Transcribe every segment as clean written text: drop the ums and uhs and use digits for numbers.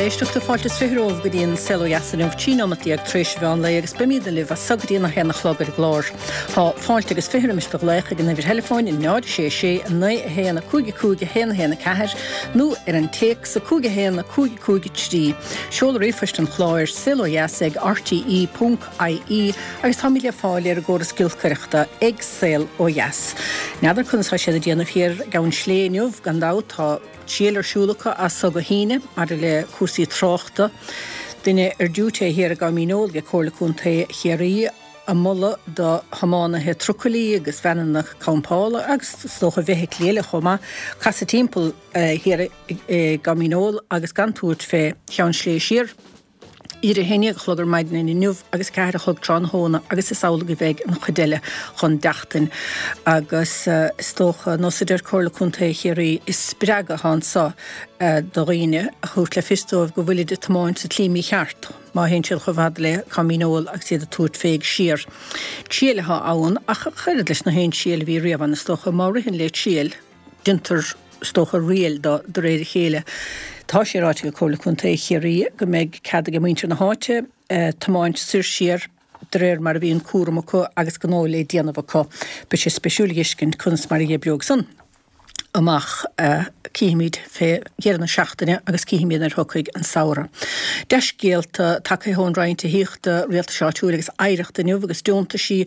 Éisteachta, fáilte is romhaibh go dtí an Saol Ó Dheas inniu, 13 nóimeat tar éis an mheán lae agus beimidne libh as so go dtí an 1 a chlog ar an gclár. Tá fáilte agus 20 roimis do ghlaoch ag an uimhir theileafóin 0 6 6 9 1 5 5 1 1 4 nó ar an téacs 5 1 5 5 3. Seol ríomhphoist an chláir, saolodheas ag rte ponc ie agus táimid le fáil ar an gcóras giolcaireachta ag Saol Ó Dheas. N'fheadar conas tá siad ag déanamh thiar ag Abhainn Slé inniu, gan dabht tá triail ar siúl acu as so go hAoine maidir le cúrsaí tráchta. Duine ar diúité thiar ag Abha Mín Eol ag Comhairle Contae Chiarraí ag moladh do thiománaithe trucailí agus veaineanna campála agus is dócha feithiclí eile chomh maith casadh timpeall thiar ag Abha Mín Eol agus gan tabhairt fé Cheann Slé siar. Idir 11 a chlog ar maidin inniu agus 4 a chlog tráthnóna agus is amhlaidh a bheidh an chuid eile chun deachtain. Agus is dócha, nós a deir Comhairle Contae Chiarraí, is spreagadh atá anso do dhaoine a thabhairt le fios dóibh go bhfuilid ag tiomáint sa tslí mícheart má théann siad chomh fada le Cabha Mín Eol agus iad ag tabhairt fé siar. Triail atá ann ach oiread leis na haon triail a bhí riamh ann is dócha, má ritheann le triail, Déantar, is dócha, riail de de réir a chéile. Tá sé ráite ag Comhairle Contae Chiarraí go mbeidh cead ag muintir na háite tiomáint soir siar de réir mar a bhíonn cúram acu agus gnó le déanamh acu. Beidh sé spéisiúil a dh'fheiscint conas mar a dh'oibreoidh san amach. Cífimid fé dheireadh na seachtaine agus cífimid nuair a thiocfaidh an samhradh. Dea-scéalta tagtha ón Roinn Tithíochta, Rialtais Áitiúil agus Oidhreachta inniu agus deontaisí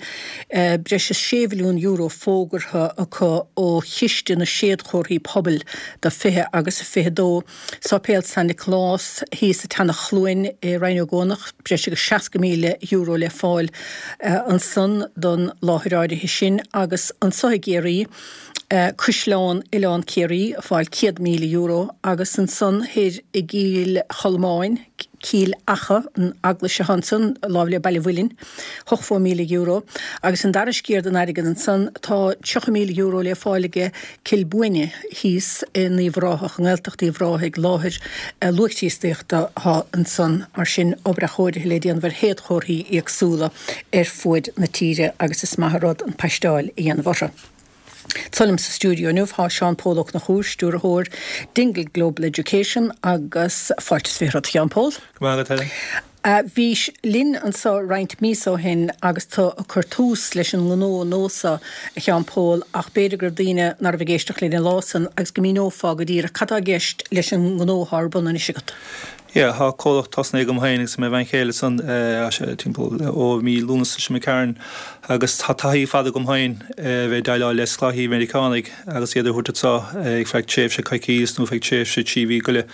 Breis is €6 mhilliún fógartha acu ó Chiste na Séadchomharthaí Pobail do 20 agus 22. Sáipéal San Nioclás thíos sa tSeanach Chluain i Rinn Ó gCuanach, breis agus €60,000 le fáil ansan don láthair áirithe sin agus anso i gCiarraí, Caisleán Oileán Ciarraí ag fáil €100,000 agus ansan thoir i gCill Cholmáin, Cill Acha, an eaglais atá ansan, láimh le Baile Mhuilinn, €80,000. Agus an dara sciar den airgead ansan, tá €30,000 le fáil aige Cill Bhuaine thíos in Uíbh Ráthach, i nGaeltacht Uíbh Ráthaigh, láthair luath-Chríostaíochta atá ansan. Mar sin, obair athchóirithe le déanamh ar shéadchomharthaí éagsúla ar fuaid na tíre agus is maith an rud an paisteáil a dhéanamh orthu. Anseo liom sa stiúideo inniu tá Seán Pól Ó Conchúir, Stiúrthóir Dingle Global Education agus fáilte is 20 romhat a Sheáin Pól. Go raibh maith agat Helen. Bhís linn anseo roinnt míosa ó shin agus tú ag cur tús leis an ngnó nua seo a Sheáin Pól ach b'fhéidir go raibh daoine ná raibh ag éisteacht linn an lá san agus go míneofá go díreach cad tá i gceist leis an ngnó atá ar bun anois agat. Yeah, tá comhlacht tosnaithe agam féin agus mo bhean chéile san, tá sé timpeall ó mí Lúnasa seo imigh tharainn agus tá taithí fada agam féin a bheith ag déileáil le scoláirí Meiriceánaigh agus iad a thabhairt anso ag feadh tréimhse coicís nó feadh tréimhse 3 mhí go leith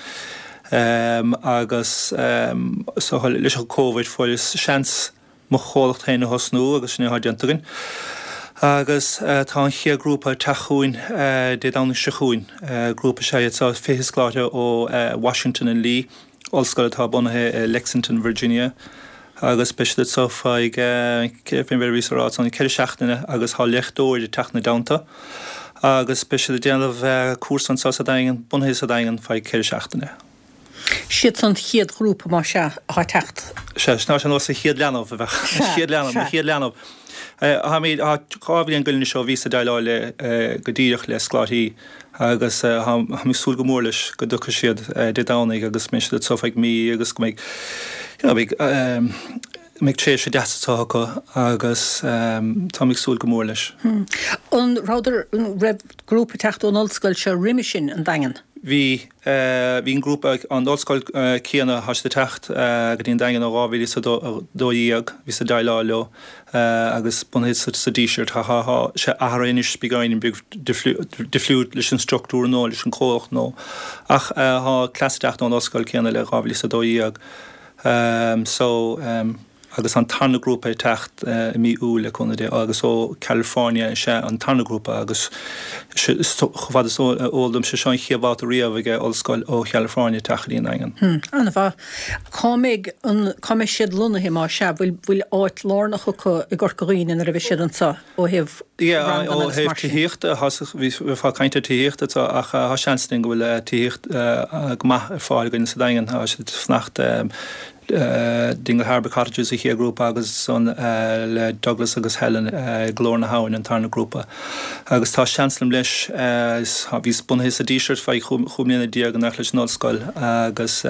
agus so leis an Covid fuaireas seans mo chomhlacht féin a thosnú agus sin é atá déanta againn. Agus tá an chéad grúpa ag teacht chugainn Dé Domhnaigh seo chugainn. Grúpa is ea iad seo, 20 scoláire ó Washington and Lee, ollscoil atá bunaithe i Lexington, Virginia, agus beidh siad anso feadh, fén bhféar a bhíos a rá, ansan 4 seachtaine agus tá léachtóir ag teacht ina dteannta agus beidh siad ag déanamh cúrsa anso sa Daingean, bunaithe sa Daingean feadh 4 seachtaine. Siad san chéad ghrúpa más ea atá ag teacht. Sea, sin é nós an chéad leanbh a bheadh. An chéad leanbh, mo chéad leanbh. Táimid, tá 2 bhliain go leith anois ó bhíos ag déileáil le, go díreach le scoláirí agus táim ag súil go mór leis go dtiocfaidh siad Dé Domhnaigh agus mbeidh siad anso feadh mí agus go mbeidh, you know, beidh, mbeidh tréimhse deas anso acu agus táim ag súil go mór leis. An rabhadar, an raibh grúpa ag teacht ón ollscoil seo roimhe sin, an Daingean? Bhí. Bhí an grúpa, an ollscoil céanna, tá siad ag teacht go dtí an Daingean ó 2012, bhíos ag déileáil leo agus bunaithe sa Díseart. Tá sé athraithe anois beagáinín beag difriúil leis an struchtúr nua, leis an comhlacht nua ach tá cleas ag teacht ón ollscoil céanna le 2012. So. agus an tarna grúpa ag teacht i mí Iúil le cúnamh Dé agus ó California is ea an tarna grúpa agus chomh fada is eol dom sé seo an chéad bhabhta riamh ag ollscoil ó Chalifornia teacht go dtí an Daingean. An-mhaith. Cá mbeidh an, cá mbeidh siad lonnaithe má sea? Bhfuil, bhfuil áit lárnach acu i gCorca Dhuibhne nuair a bheidh siad anseo ó thaobh Yeah, ó ranganna agus thaobh mar sin? tithíochta, bhí, bheifeá ag caint ar tithíocht anseo ach tá seans againn go bhfuil tithíocht go maith ar fáil againn sa Daingean. Tá siad ag fanacht Dingle Harbour Cottages an chéad ghrúpa agus ansan le Douglas agus Helen i Glór na hAbhann an tarna grúpa. Agus tá seans agam leis, bhíos bunaithe sa Díseart feadh chúig mbliana déag in éineacht leis an ollscoil agus.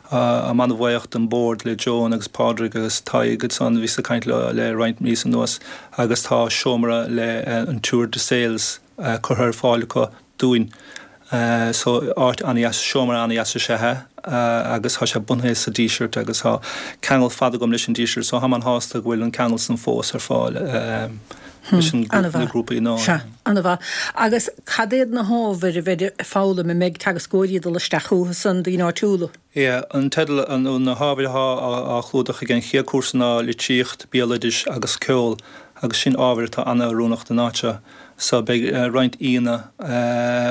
Táim an-bhuíoch don bord le Joan agus Pádraig agus Tadhg ansan, bhíos ag caint leo le roinnt míosa anuas agus tá seomra le an Tour de Sales curtha ar fáil acu dúinn. So áit an-dheas, seomra an-dheas is ea é agus tá sé bunaithe sa Díseart agus tá ceangal fada agam leis an Díseart so táim an-shásta go bhfuil an ceangal san fós ar fáil leis an na grúpaí gnó. Sea, an-mhaith. Agus cad iad na hábhair a bheidh ag foghlaim, an mbeidh teagascóirí ag dul isteach chucu san, daoine áitiúla? Yeah, an teideal, nó na hábhair atá á chlúdach ag an chéad cúrsa ná litríocht, béaloidis agus ceol agus sin ábhair atá an-oiriúnach don áit seo. So beidh roinnt aíonna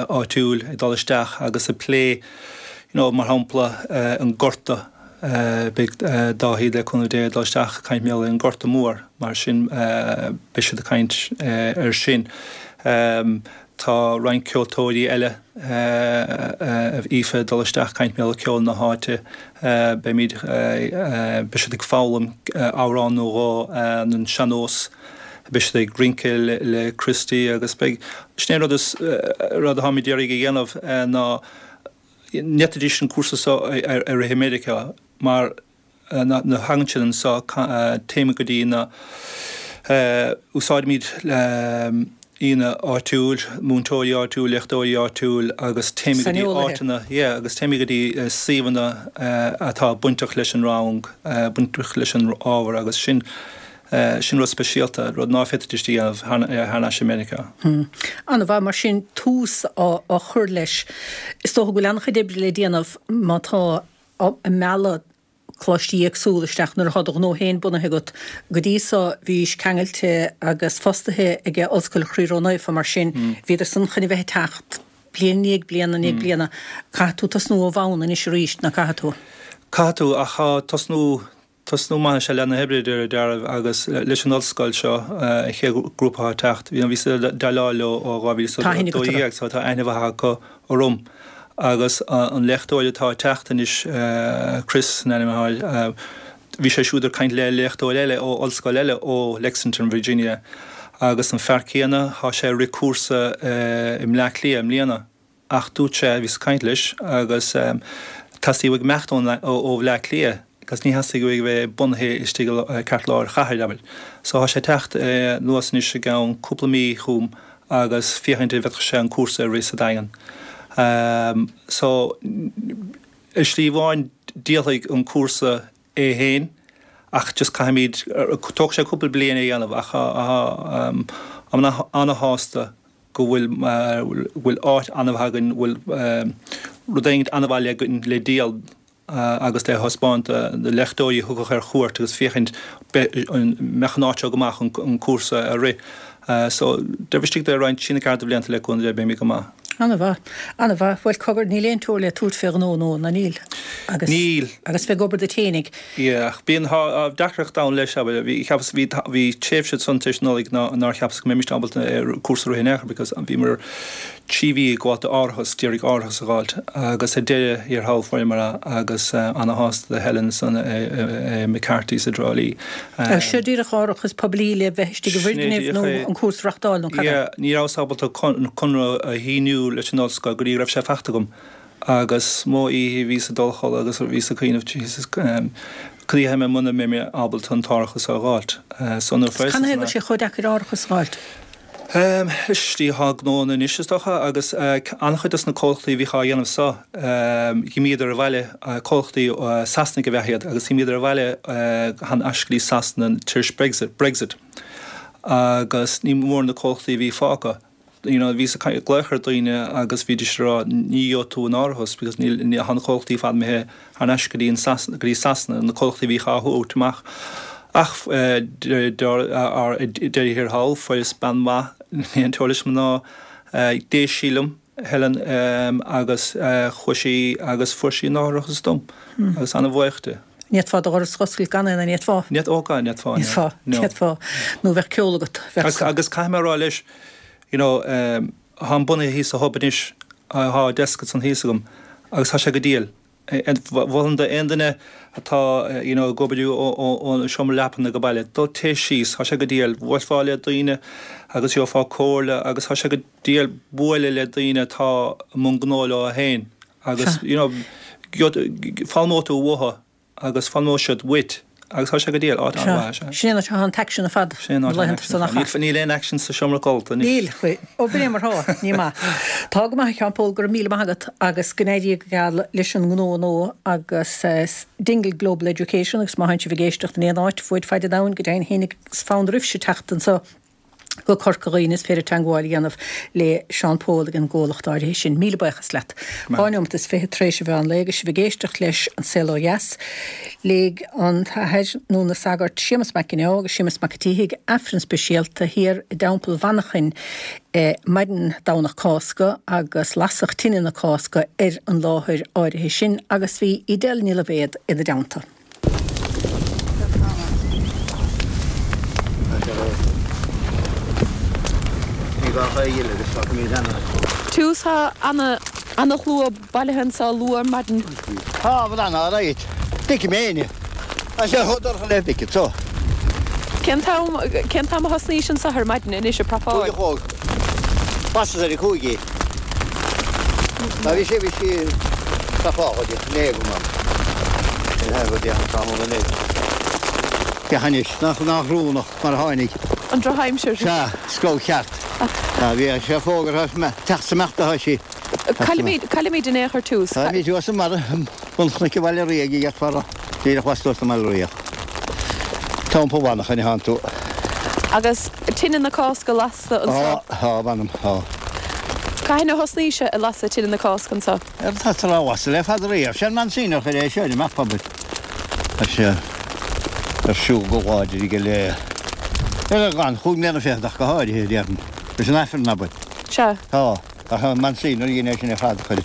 áitiúil ag dul isteach agus ag plé, you know, mar shampla an Gorta, beidh Dáithí le cúnamh Dé ag dul isteach ag caint mar gheall ar an Gorta Mór, mar sin beidh siad ag caint air sin. Tá roinnt ceoltóirí eile, Aoife ag dul isteach ag caint mar gheall ar ceol na háite, beimid, beidh siad ag foghlaim amhrán nó dhó an sean-nós. Beidh siad ag rince le Christy agus beidh, sin é an rud is, rud atáimid d'iarraidh a dhéanamh ná ní fhéadfaidís an cúrsa seo a rith i Meiriceá mar nuair a thagann siad anseo téimid go dtí na, úsáidimid aíonna áitiúil, múinteoirí áitiúil, léachtóirí áitiúil agus téimid go dtí áiteanna, yeah, agus téimid go dtí suíomhanna atá bainteach leis an rang, bainteach leis an ábhar agus sin. Sin rud speisialta, rud ná féadfaidís a dhéanamh thar n-ais i Meiriceá. An-mhaith, mar sin, tús á chur leis. Is dócha go bhfuil an-chuid oibre le déanamh má tá ag mealladh coláistí éagsúla isteach nuair atá do ghnó féin bunaithe agat. Go dtí so bhís ceangailte agus fostaithe ag Ollscoil Chroí Ró-Naofa, mar sin bhíodar san chun a bheith ag teacht bliain i ndiaidh bliana i ndiaidh bliana. Caithfidh tú tosnú ó bhonn anois arís, ná caithfidh tú? Caithfidh tú, ach tá tosnú Tosnú maith is ea leath na hoibre, de réir dealraimh, agus leis an ollscoil seo, an chéad ghrúpa atá ag teacht, bhíos ag déileáil leo ó 2012, so tá aithne mhaith acu orm. Agus an léachtóir atá ag teacht anois, Chris an ainm atá air, bhí sé siúd ag caint le léachtóir eile ó ollscoil eile ó Lexington, Virginia, agus an fear céanna, tá sé ag rith cúrsa i mBleá Cliath i mbliana. Ach dúirt sé, bhíos ag caint leis agus theastaigh uaidh imeacht ó Bhleá Cliath agus ní theastaigh uaidh a bheith bunaithe istigh i gceartlár an chathair, abair. So tá sé ag teacht anuas anois i gceann cúpla mí chugam agus féachaint an bhféadfadh sé an cúrsa a rith sa Daingean. So ar shlí amháin díolfaidh an cúrsa é féin ach just caithfimid, tógfaidh sé cúpla bliain é a dhéanamh ach táim ana-shásta go bhfuil bhfuil áit an-mhaith againn, bhfuil rud éigin an-mhaith againn le díol agus le thaispeáint do léachtóirí a thiocfadh ar chuairt agus féachaint an mbeadh an áit seo go maith chun an cúrsa a rith. So, taobh istigh de roinnt trí nó ceathair de bhlianta le cúnamh Dé beimid go maith. An-mhaith. An-mhaith. Bhuel, cogar, níl aon teora le tabhairt fé ghnó nua, ná níl? Agus, Níl. agus bheith ag obair duit fhéinig. Yeah, ach bíonn, tá deacracht ann leis, abair, bhí, cheapas, bhí, bhí tréimhse ansan tar éis Nollaig ná, nár cheapas go mbeimis ábalta cúrsa a rith in aon chor because bhíomar 3 mhí ag gabháilt d'árachas, d'iarraidh árachas a dh'fháilt agus ar deireadh thiar thall fuaireamar é agus ana-shásta do Helen ansan i McCarthy's i dTrá Lí. Agus seo díreach árachas poiblí le bheith istigh i bhfoirgneamh nó an cúrsa a reachtáil nó cad é? Yeah, ní rabhas ábalta conradh a shíniú leis an ollscoil go dtí go raibh sé faighte agam. Agus mo oíche bhíos ag dul a chodladh agus bhíos ag cuimhneamh, Jesus, cad a dhéanfaidh mé muna mbeidh mé ábalta an t-árachas a dh'fháilt. So nuair a fuaireas Canathaobh a bhfuil sé chomh deacair árachas a dh'fháilt? Leis an slí atá gnóanna anois is dócha agus an-chuid dos na comhlachtaí a bhíodh á dhéanamh so, dh'imíodar abhaile, comhlachtaí Sasanaigh ab ea iad agus dh'imíodar abhaile thar n-ais go dtí Sasana tar éis Brexit, Brexit agus ní mór na comhlachtaí a bhí fágtha. you know bhíos ag glaoch ar daoine agus bhídís ag rá ní gheobhaidh tú an árachas because níl ní tá na comhlachtaí ar fad imithe thar n-ais go dtí an Sasana go dtí Sasana na comhlachtaí a bhíodh á thabhairt amach ach ar deireadh thiar thall fuaireas bean mhaith níl aon teora leis na mná d'éist sí liom Helen agus chuaigh sí agus fuair sí an árachas dom agus ana-bhuíoch di. Ní fhéadfá do dhoras a dh'oscailt gan é, an bhféadfá? Ní fhéadfá, ní fhéadfá, no. Ní fhéadfá, ní fhéadfá. Nó bheadh ceol agat, bheadh san. Agus caithfidh mé a rá leis, you know, táim bunaithe thíos sa Hub anois, tá desk ansan thíos agam agus tá sé go diail. Mholfainn d'aon duine atá, you know, ag obair ón seomra leapa nó ag baile, dul téigh síos, tá sé go diail. Bhuailfeá le daoine agus gheofá comhairle agus tá sé go diail bualadh le daoine atá i mbun gnó leo féin. Agus, you know, Foghlaimeoidh tú uathu agus foghlaimeoidh siad uait agus tá sé go diail, áit an-mhaith, sea. Sin é an áit atá an t-aicsean ar fad Sin é an áit na laethanta san nach ea? Níl aon aicsean sa seomra codlata anois. Níl, ó b'in é mar atá, ní maith. Tá go maith a Sheáin Pól, go raibh míle maith agat agus go n-éirí go geal leis an ngnó nua agus Dingle Global Education agus má théann sibh ag éisteacht in aon áit fuaid faid an domhain go deimhin féin is fonn oraibhse teacht anseo go Corca Dhuibhne is féidir teangmháil a dhéanamh le Seán Pól ag an gcomhlacht áirithe sin. Míle buíochas leat. 2 neomat is 20 tar éis an mheán lae agus sibh ag éisteacht leis An Saol Ó Dheas. Léigh an tAthair nó na sagairt Séamus Mac Ginneá agus Séamus Mac an tSíthigh Aifreann speisialta thiar i dTeampall Mhanchain maidin Domhnach Cásca agus lasadh tine na Cásca ar an láthair áirithe sin agus bhí Edel Ní Loibhéad ina dteannta. Tús Tá ana-shlua bailithe anseo luath ar maidin. Tá, bhuel ana alright. Feicim éinne. Tá sé chomh dorcha le beicead so. Cén t-am, cén t-am a thosnaís anseo ar maidin anois ag prapáil? 5 a chlog. Basas ar a 5 í. Ná bhí sé, bhí sí prapáil go dtí an go maith. Go dtí an tráthnóna inné. Féach anois, nach, nach rúnach mar a tháinig. An drochaimsir. Sea, scamh cheart. Sea, bhí sé fógartha, teacht is imeacht atá sí. Caillimid, caillimid in aon chor tús. Táimid thuas i mbarra bun chnoic an Bhaile Ríogh a dhéarfá, díreach lastuas den mBaile Ríogh. Teampall Mhanchain atá tú. Agus tine na Cásca lasta anseo. Tá, tá, mh'anam, tá. Cathain a thosnaís ag lasadh tine na Cásca anseo? Ar tá tú á lasadh le fada riamh. Sé an Monsignor a chuir é seo ar an map, abair. Tá sé ar siúl go láidir aige le, ar an chúig mbliana fichead ach go háirithe, déarfainn. Leis an Aifreann, abair. Sea. Tá. Ach an Monsignor a dhein é sin ar fad, chuir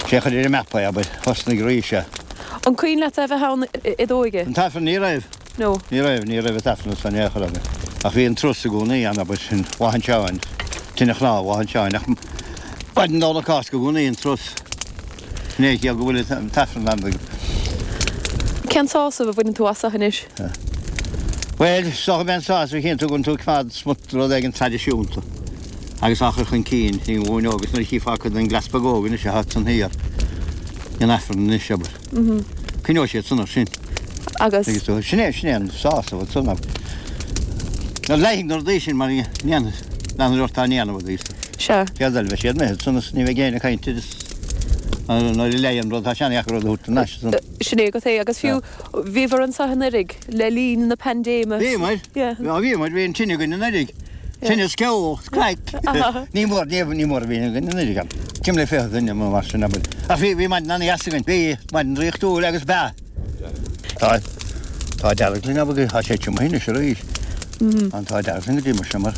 sé a chuir ar an map é, abair, thosnaigh arís é. An cuimhin leat é a bheith ann i d'óige? An t-Aifreann, ní raibh. No. Ní raibh, ní raibh an t-Aifreann ansan in aon chor, abair. Ach bhí an turas i gcónaí ann, abair, sin Lá an tSeáin, tine chnámh Lá an tSeáin, ach maidin Domhnach Cásca i gcónaí an turas. Sin é a chiall go bhfuil an t-Aifreann ann. Cén sásamh a bhaineann tú as anois? Bhuel, is dócha gurb é an sásamh a chíonn tú go bhfuil tú ag coimeád smut rud éigin traidisiúnta. agus á chur chun cinn i nglúin óg agus nuair a chífeá cuid den gcleas beag óg anois atá ansan thiar in Aifreann anois, abair. Coinneoidh siad san air sin. Agus. Agus tú, sin é, sin é an sásamh ansan, abair. Nuair a leigfidh na rudaí sin mar a ndéanfaidh, leanfaidh ort á ndéanamh a dúirt. Sea. Céard eile, beidh siad imithe ansan is ní bheidh éinne ag caint air is nuair a leigfidh an rud tá sé an-dheacair rud a thabhairt thar n-ais ansan. Sin é agat é agus fiú bhíobhair anseo anuraidh le linn na paindéime. Bhíomar, bhíomar, bhí an tine againn anuraidh. Tine is ceol, is craic. Ní mór, ní mór a bhí againn anuraidh ann. Timpeall le 20 duine nó mar sin, abair. Ach bhí, bhí maidin an-dheas againn. Bhí maidin draíochtúil agus b'ea. Tá, tá dearg linn, abair, tá sé tiomtha anois arís. An t-ádh dearg linn go dtí mar sin mar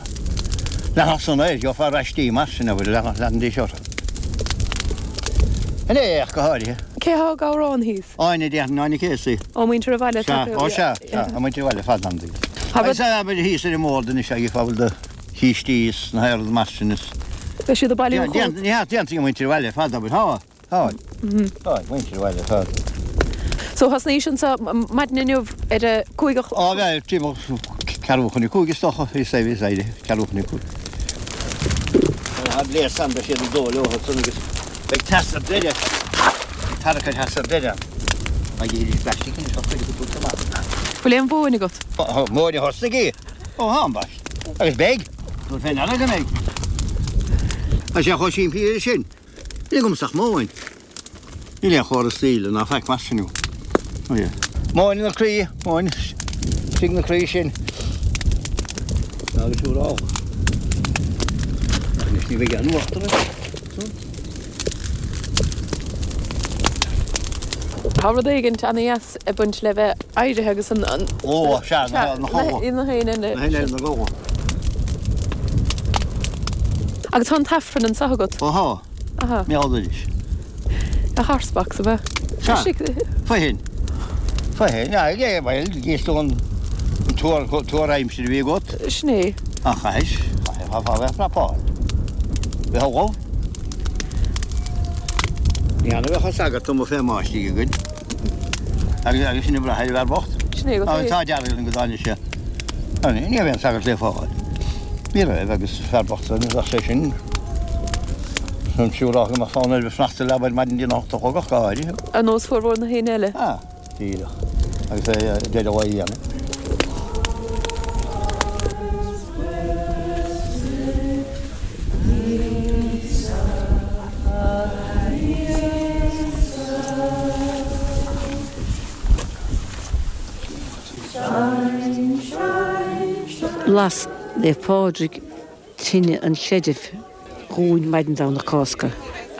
leanfadh san air, gheofá raistí mar sin, abair, leanfadh, leanfaidís orthu. Inné ach go háirithe. Cé thá ag amhrán thíos? Áine, déarfainn, Áine Casey. Ó, muintir an bhaile atá Sea, ó sea, sea, tá muintir an bhaile ar fad ann. Agus abair thíos ar an mbord anois agus fá bhfuil do chístí is na haon rud mar sin is. Beidh siad ag bailiú chugat. Ní hea, déantaí an muintir an bhaile ar fad, abair, tá, tá, tá, muintir an bhaile ar fad. So thosnaís anseo maidin inniu ar a 5 a chlog? Á, bheadh, timpeall ceathrú chun a 5 is dócha, bhí sé, bhí sé, ceathrú chun a 5. Tá gléas ann, beidh siad ag dó leo ansan agus beidh teas ar deireadh. Beidh tarrac ar theas ar deireadh ann. Ag iarraidh plastic anois á chuir go dtús amach. Bhfuil aon mhóin agat? Tá móin a thosnaigh í. Ó tá ambaist. Agus beidh. Tabhair fé ndeara go mbeidh. Tá sé chomh simplí leis sin. Níl agamsa ach móin. Níl aon chóras saoil ná faic mar sin. Móin ina croí, móin istigh ina croí sin. Agus siúrálach. Anois ní bheidh aon uachtar air. Tá rud éigin ana-dheas ag baint le bheith éirithe agus an. Ó, sea, na h-éin. Na h-éin eile. Na h-éin eile, na gabha. Agus tá an t-Aifreann anseo agat? Ó thá. Aha. Meall arís. A horsebox ab ea? Sea. Fothain. Fothain, yeah, bhuel, gíos tú an tuar, tuar aimsire a bhí agat. Sin é. Ach chaithis, chaithfeá fá bheith prapáil. Bheith ullamh. Ní annamh a bheadh an sagart amuigh fé mbáistigh againn. Agus, agus sin ag brath ar an bhfear bocht. Sin é agat é. Tá dearg linn go dtáinig sé. Ní raibh aon sagart le fáil. Ní raibh agus fear bocht san, bheadh sé sin. Tá mé ag rá go mbeadh fonn air bheith fanacht sa leaba ar maidin dtí an 8 a chlog ach go háirithe. Ar nós formhór na héinne eile. Ah, díreach. Agus é ag deireadh lae a dhéanamh. Las Naomh Pádraig tine an chreidimh dhúinn maidin Domhnach Cásca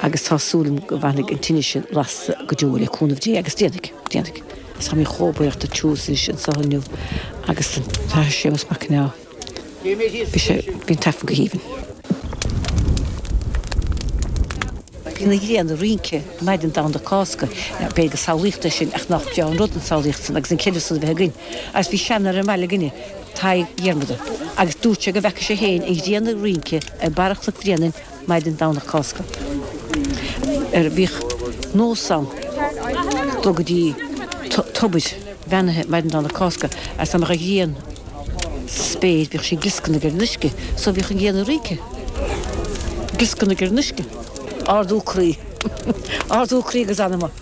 agus tá súil agam go bhfanfaidh an tine sin lasta go deo le cúnamh Dé agus déanfaidh, déanfaidh. Agus táimid chomh buíoch do Tús anois anseo inniu agus don Athair Séamus Mac Con Ádha. Bhí sé, bhí an tAifreann go haoibhinn. Bhí an ghrian ag rince maidin Domhnach Cásca. B'fhéidir gur samhlaíocht é sin ach nach breá an rud an tsamhlaíocht san agus an creideamh san a bheith againn. Agus bhí seanfhear i mbaile againne, Tadhg Dhiarmada, agus dúirt sé go bhfeaca sé féin an ghrian ag rince ar barra Chnoc Bhréanainn maidin Domhnach Cásca. Ar bhíodh nós ann dul go dtí tobair bheannaithe maidin Domhnach Cásca agus dá mbeadh an ghrian sa spéir bhíodh sí ag glioscarnaigh ar an uisce so bhíodh an ghrian ag rince, glioscarnaigh ar an uisce. Ardú croí. Ardú croí agus anama.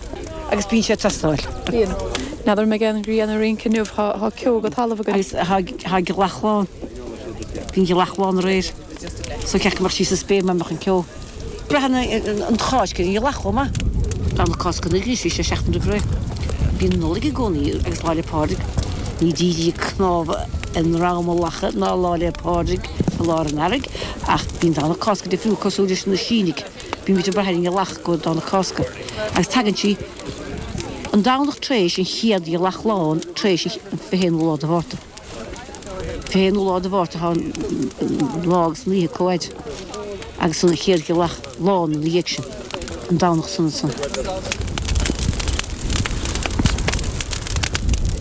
Agus bíonn sé ag teastáil. Bíonn. N'fheadar an mbeidh an ghrian ag rince inniu, tá ceo go talamh againn. Agus tá gealach lán. Bhí an ghealach lán aréir. So ceart go mbeadh sí sa spéir má mbeadh an ceo. Braitheann an Cháisc ar an ghealach chomh maith. Domhnach Cásca anois, bhí sé seachtain roimh ré. Bíonn Nollaig i gcónaí agus Lá 'le Pádraig. Ní dírí cnámha i ndrom a lacha ná Lá 'le Pádraig i lár an earraigh, ach bíonn Domhnach Cásca difriúil cosúil leis na Sínigh. Bímid ag brath ar an ghealach go Domhnach Cásca. Agus tagann sí an Domhnach tar éis an chéad ghealach lán tar éis an 21ú lá de Mhárta. 21ú lá de Mhárta tá an lá agus an oíche comhfhaid agus an chéad ghealach lán ina dhiaidh sin, an Domhnach san ansan.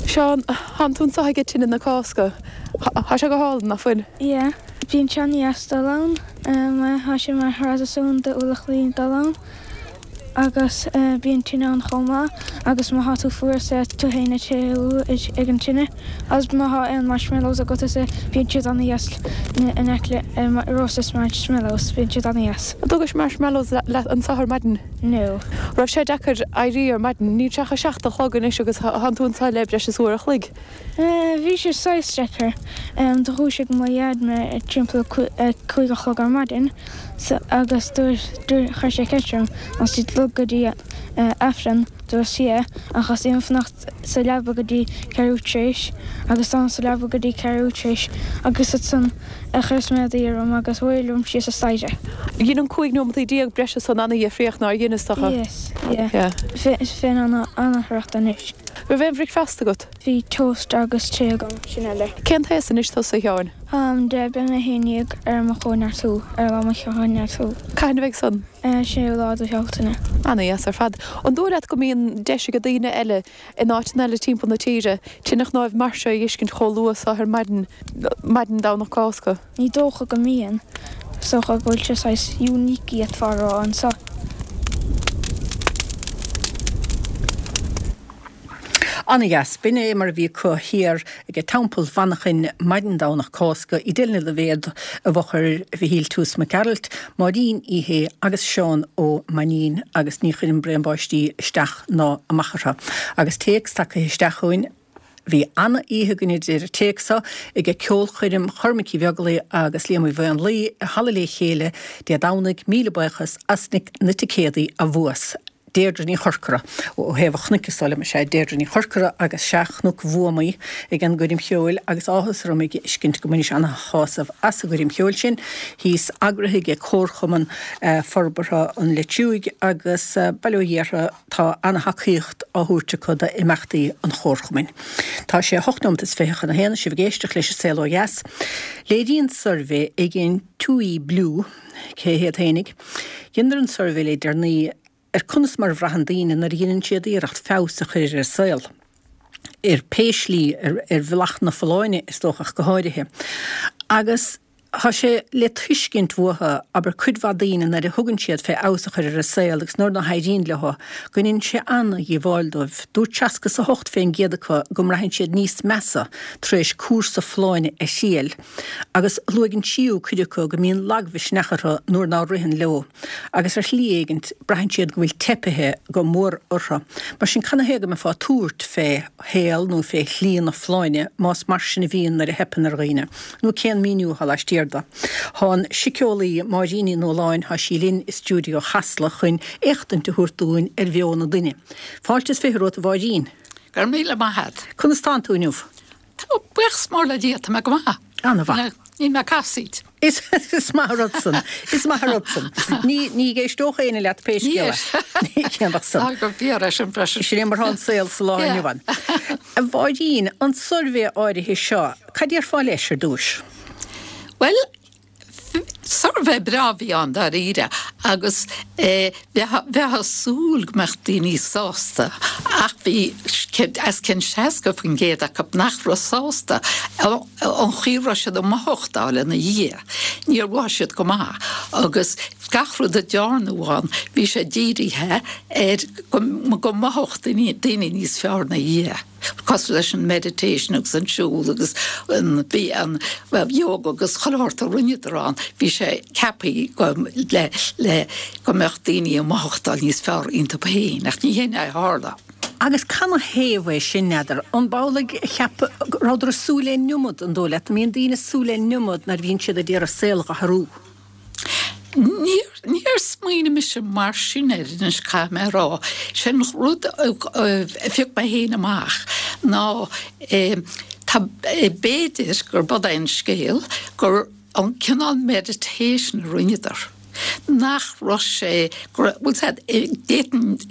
Seán, Tánn tú anseo ag tine na Cásca. Tá sé go hálainn, nach bhfuil? Yeah. Bíonn sé an-deas dul ann. Tá sé mar thraidisiún do Mhullach Laoi dul ann agus bíonn tine ann chomh maith agus má thá tú fuar is é tú fhéin ag téamh ag an tine agus má thá aon marshmallows agat is é bíonn siad an-deas in aice le roasted marshmallows bíonn siad an-deas. An dtugais marshmallows leat anseo ar maidin? No. Raibh sé deacair éirí ar maidin? Níl sé ach a 7 a chlog anois agus thánn tú anseo le breis is uair a chloig. Bhí sé saghas deacair. Do dhúisigh mo dhaid mé ag timpeall a 5 a chlog ar maidin agus dúirt, chuir sé ceist orm an raibh tú ag dul go dtí Aifreann, dúras yeah ach theastaigh uaim fanacht sa leaba go dtí ceathrú tar éis agus d'fhan sa leaba go dtí ceathrú tar éis agus ansan chuireas m'éadaí orm agus away liom síos an staighre. Dhein an 15 nóimeataí breise san ana-dhifríocht nár dhein is dócha? Yes, yeah. Bheinn ana-thraochta anois. Raibh aon bhricfeasta agat? Bhí toast agus tae agam, sin uile. Cén t-aos anois tusa, a Sheáin? Táim 10, beidh mé 11 ar mo chóineartú, ar lá mo chóineartú. Cathain a bheidh san? 6ú lá de Bhealtaine. Ana-dheas ar fad. An dóigh leat go mbíonn deis ag daoine eile in áiteanna eile timpeall na tíre tine chnáimh mar seo a fheiscint chomh luath so ar maidin, maidin Domhnach Cásca? Ní dócha go mbíonn. Is dócha go bhfuil sé saghas unique d'fhéadfá a rá anseo. Ana-dheas. B'in é mar a bhí acu thiar ag Teampall Mhanchain maidin Domhnach Cásca, Edel Ní Loibhéad i bhfochair Mhichíl Toose Mac Gearailt, Máirín Uí Shé agus Seán Ó Mainnín agus ní chuireann braon báistí isteach ná amach orthu. Agus téacs tagtha isteach chugainn, Bhí ana-oíche againn a deir an téacs seo ag ceolchoirm Chormaic Uí Bheaglaoich agus Liam Uí Mhaonlaí i Halla Lé Chéile Dé Domhnaigh, míle buíochas as na ticéadaí a bhuas. Deirdre Ní Chorcora ó thaobh an chnoic is dóigh liom, is ea Deirdre Ní Chorcora agus sea Cnoc Bhuamaí ag an gcoirm cheoil agus áthas orm a fheiscint go mbainis ana-shásamh as an gcoirm cheoil sin thíos, eagraithe ag Comharchumann Forbartha an Leitriúigh agus bail ó Dhia orthu tá ana-thacaíocht á thabhairt acu d'imeachtaí an Chomharchumainn. Tá sé 8 nóimeat is 20 chun a haon, sibh ag éisteacht leis An Saol Ó Dheas. Léiríonn suirbhé ag an TUI Blue, Cé hiad fhéinig? Dheineadar an suirbhé le deireanaí ar conas mar a bhraitheann daoine nuair a dheineann siad iarracht feabhas a chur ar a saol, ar pé slí, ar bhealach na folláine is dócha ach go háirithe. Agus. Tá sé le tuiscint uathu, abair, cuid mhaith daoine nuair a thugann siad fé fheabhas a chur ar a saol agus nuair ná héiríonn leo, go ndéanann sé an-dhíobháil dóibh. Dúirt 68 fén gcéad acu go mbraitheann siad níos measa tar éis cúrsa folláine a thriail. Agus luaigh an tríú cuid acu go mbíonn lagmhisneach orthu nuair ná ritheann leo. Agus ar shlí éigint, braitheann siad go bhfuil teipithe go mór orthu. Mar sin, canathaobh go mbeifeá ag tabhairt fé shaol nó fé shlí na folláine más mar sin a bhíonn nuair a theipeann ar dhaoine? Nó cén míniú atá laistiar de? Tá an síceolaí Máirín Ní Nualláin, tá sí linn i stiúideo Chasla chun éachtaint a thabhairt dúinn ar mheon an duine. Fáilte is 20 romhat a Mháirín. Go raibh míle maith a't. Conas tánn tú inniu? Tá, buíochas mór le Dia, tá mé go maith. Ana-mhaith. Níl mé ag casaoid. Is maith an rud san. Is maith an rud san. Ní, ní éisteodh éinne leat pé scéal é. Ní céannach san. Tá go fíor é sin freisin. Sin é mar atá an saol sa lá inniu ann. A Mháirín, an suirbhé áirithe seo, Cad déarfá leis ar dtúis? Bhuel, suirbhé breá a bhí ann dáiríre agus bheifeá ag súil go mbeadh daoine sásta ach bhí os cionn 60% acu nach raibh sásta an chaoi a raibh siad ag mothachtáil ina dhiaidh. Níor mhothaigh siad go maith agus gach rud a dearnadh ann bhí sé dírithe ar go mothódh daoine níos fearr ina dhiaidh. cosúil leis an meditation agus an siúl agus an bhí an yoga agus chuile shórt a rinneadar ann, bhí sé ceaptha go le le go mbeadh daoine ag mothachtáil níos fearr iontu féin ach ní hin é a tharla. Agus canathaobh é sin, n'fheadar? An b'amhlaidh a cheap go rabhadar ag súil le an iomad, an dóigh leat? An mbíonn daoine ag súil le an iomad nuair a bhíonn siad ag iarraidh a saol a athrú? Níor, níor smaoinigh mise mar sin air anois, caithfidh mé a rá. Sé an rud a phioc mé féin amach ná tá, b'fhéidir gurb é an scéal gur an cineál meditation a rinneadar, nach raibh sé, go raibh, bhfuil 's a'd, d'fhéadfainn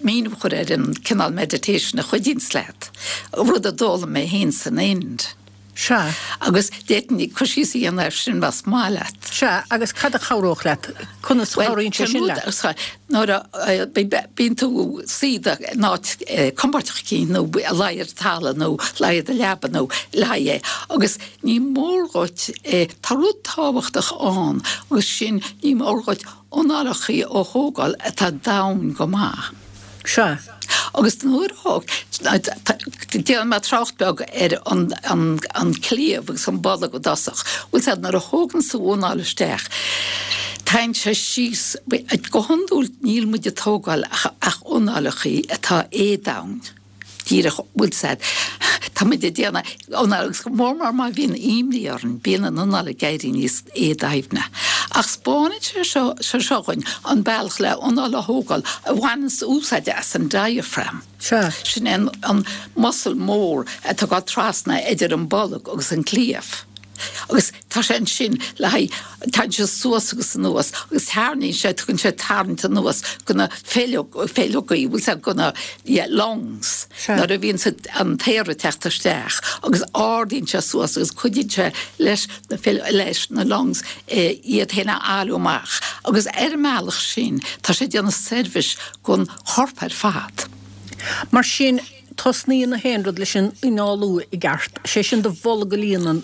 míniú a chur ar an cineál meditation a chuidíonns leat, rud a d'fhoghlaim mé féin san Ind. Sea. Agus d'fhéadfainn cur síos a dhéanamh air sin más maith leat. Sea, agus cad a chabhródh leat? Conas a chabhraíonn sé sin leat? Bhuel, nuair a bíonn tú suí in áit compordach eicínt nó ag luí ar an talamh nó luí i do leaba nó luí é agus ní mór dhuit, tá rud tábhachtach ann agus sin ní mór dhuit análachaí a thógáil atá domhain go maith. Sea. Agus nuair a déanfaidh mé trácht beag ar an cliabh agus an bolg i dtosach. Bhfuil 's a'd nuair a thógann tú anáil isteach, tagann sé síos, go hiondúil níl muid ag tógáil ach análachaí atá éadomhain. Díreach, bhfuil 's a'd, tá muid ag déanamh anáil agus go mór mór má bhíonn imní orainn, bíonn an anáil ag éirí níos éadoimhne. Ach 'spáineann sé seo, sé seo dhuinn an bealach le anáil a thógáil a bhaineanns úsáid as an diaphragm. Sea. Sin é an, an muscle mór atá ag dul trasna idir an bolg agus an cliabh. Agus tá sé ansin le haghaidh, tagann sé suas agus anuas agus tarraingíonn sé, tugann sé tarraingt anuas go na feileogaí, bhfuil 's a'd, go na, yeah, lungs, nuair a bhíonn an t-aer ag teacht isteach agus ardaíonn sé suas agus cuidíonn sé leis na, leis na lungs iad féin a fhailiú amach agus ar an mbealach sin tá sé ag déanamh seirbhís don chorp ar fad. Mar sin. Tosnaíonn na haon rud leis an análú i gceart, sé sin do bholg a líonadh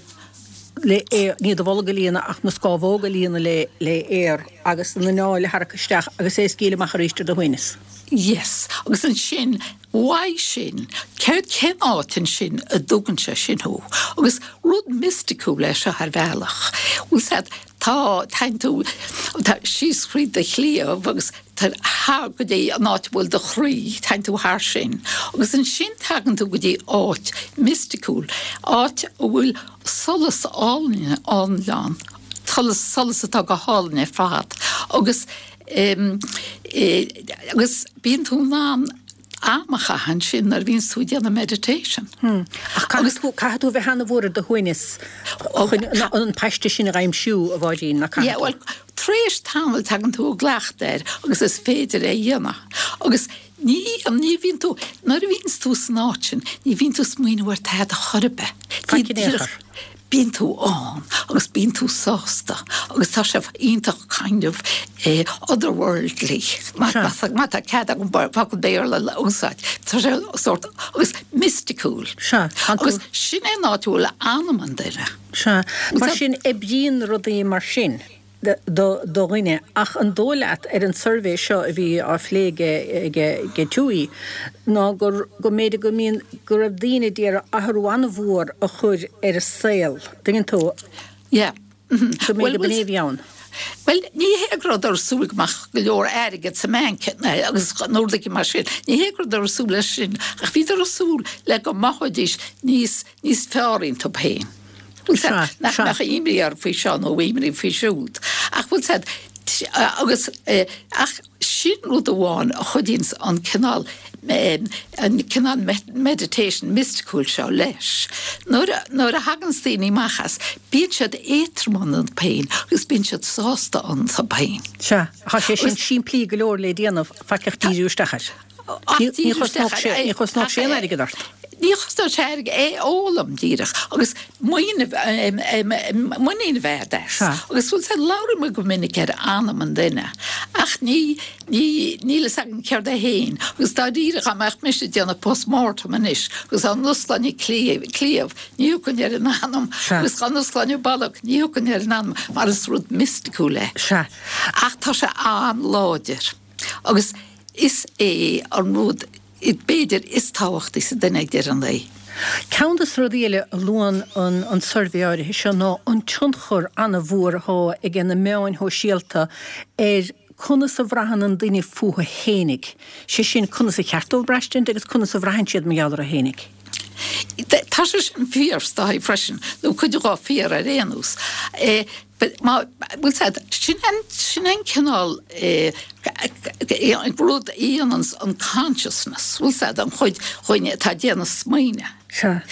le aer, ní do bholg a líonadh ach na scámhóga a líonadh le le aer agus an anáil a tharrac isteach agus é a scaoileadh amach arís ar do shuaimhneas. Yes, agus ansin, uaidh sin, céard, cén áit ansin a dtugann sé sin thú? Agus rud misticiúil é seo ar bhealach. Bhfuil 's a'd, tá, tagann tú, tá, síos thríd do chliabh agus thar go dtí an áit a bhfuil do chroí, tagann tú thar sin, agus ansin tagann tú go dtí áit misticiúil, áit a bhfuil solas álainn ann, solas, solas atá go hálainn ar fad, agus agus bíonn tú in ann am a chaitheamh ansin nuair a bhíonns tú ag déanamh meditation. Ach caithfidh tú, caithfidh tú a bheith ana-mhór ar do shuaimhneas chun an paiste sin a aimsiú, a Mháirín, nach caithfidh tú? Yeah, bhuel, tar éis tamaill tagann tú i gcleachtadh air agus is féidir é a dhéanamh. Agus ní, ní bhíonn tú, nuair a bhíonns tú san áit sin, ní bhíonn tú ag smaoineamh ar tada chor ar bith. Faic in aon chor. Bíonn tú ann agus bíonn tú sásta agus tá sé iontach kind of otherworldly, má tá cead agam focal Béarla a úsáid. Tá sé sórt agus misticiúil. Agus sin é an áit a bhfuil anam an duine. Sea. Mar sin, oibríonn rudaí mar sin do dhuine. Ach an dóigh leat, ar an suirbhé seo a bhí á phlé ag TUI, ná go mb'fhéidir go mbíonn, go raibh daoine d'iarraidh athrú an-mhór a chur ar a saol, dtuigeann tú? Yeah. Go mb'fhéidir go b'in é a bhí ann. Bhuel, ní hé go rabhadar ag súil go mbeadh go leor airgead sa mbanc agus nó rudaí mar sin. Ní hé go rabhadar ag súil leis sin, ach bhíodar ag súil le go mothóidís níos, níos fearr iontu féin. Bhfuil 's a'd, nach mbeadh imní orthu faoi seo nó imní faoi siúd. Ach bhfuil 's a'd, agus, ach sin rud amháin a chuidíonns an cineál, an cineál meditation misticiúil seo leis. Nuair a, nuair a thaganns daoine amach as, bíonn siad éadrom iontu féin agus bíonn siad sásta iontu féin. Sea, tá sé sin simplí go leor le déanamh, faic ach díriú isteach air. Ní chosnódh sé aon airgead ort. Ní chosnódh sé airgead, é a fhoghlaim díreach agus muinín a bheith agat as. Agus bhfuil 's a'd, labhraíonn muid go minic ar anam an duine ach ní, ní, níl fhios againn céard é féin. Agus dáiríre dá mbeadh mise ag déanamh post-mortem anois agus dá n-osclóinn an cliabh, ní thiocfainn ar an anam agus dá n-osclóinn an bolg, ní thiocfainn ar an anam mar is rud misticiúil é. Ach tá sé an-láidir. Agus is é an rud, b'fhéidir, is tábhachtaí sa duine ag deireadh an lae. Ceann de na rudaí eile a luann an suirbhé áirithe seo ná an tionchar an-mhór atá ag na meáin shóisialta ar conas a bhraitheann an duine fúthu fhéinig, sé sin, conas a cheart dóibh braistint agus conas a bhraitheann siad mar gheall orthu fhéinig. Tá sé sin fíor, is dóigh, freisin, nó cuid dhó fíor ar aon nós. Má, bhfuil 's a'd, sin an, sin an cineál rud a dhéananns an consciousness, bhfuil 's a'd, an chuid dhúinne atá ag déanamh smaoineamh. Sea.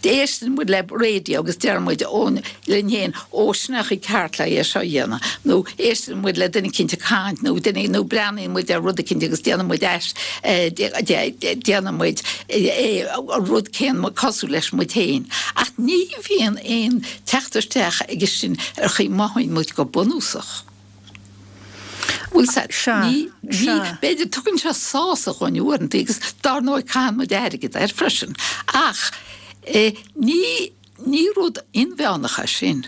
Éisteann muid le radio agus deir muid ó, linn féin, ó sin é an chaoi ceart le é seo a dhéanamh, nó éisteann muid le duine eicínt ag caint nó duine, nó breathnaíonn muid ar rud eicínt agus déanann muid ais, déanann muid é, an rud céanna cosúil leis muid féin. Ach ní bhíonn aon teacht isteach aige sin ar chaoi mothaíonn muid go bunúsach. Bhfuil 's a'd, ní, ní, b'fhéidir, tugann sé sásamh dhúinn uaireanta agus dár ndóigh caitheann muid airgead air freisin, ach ní, ní rud inmheánach é sin,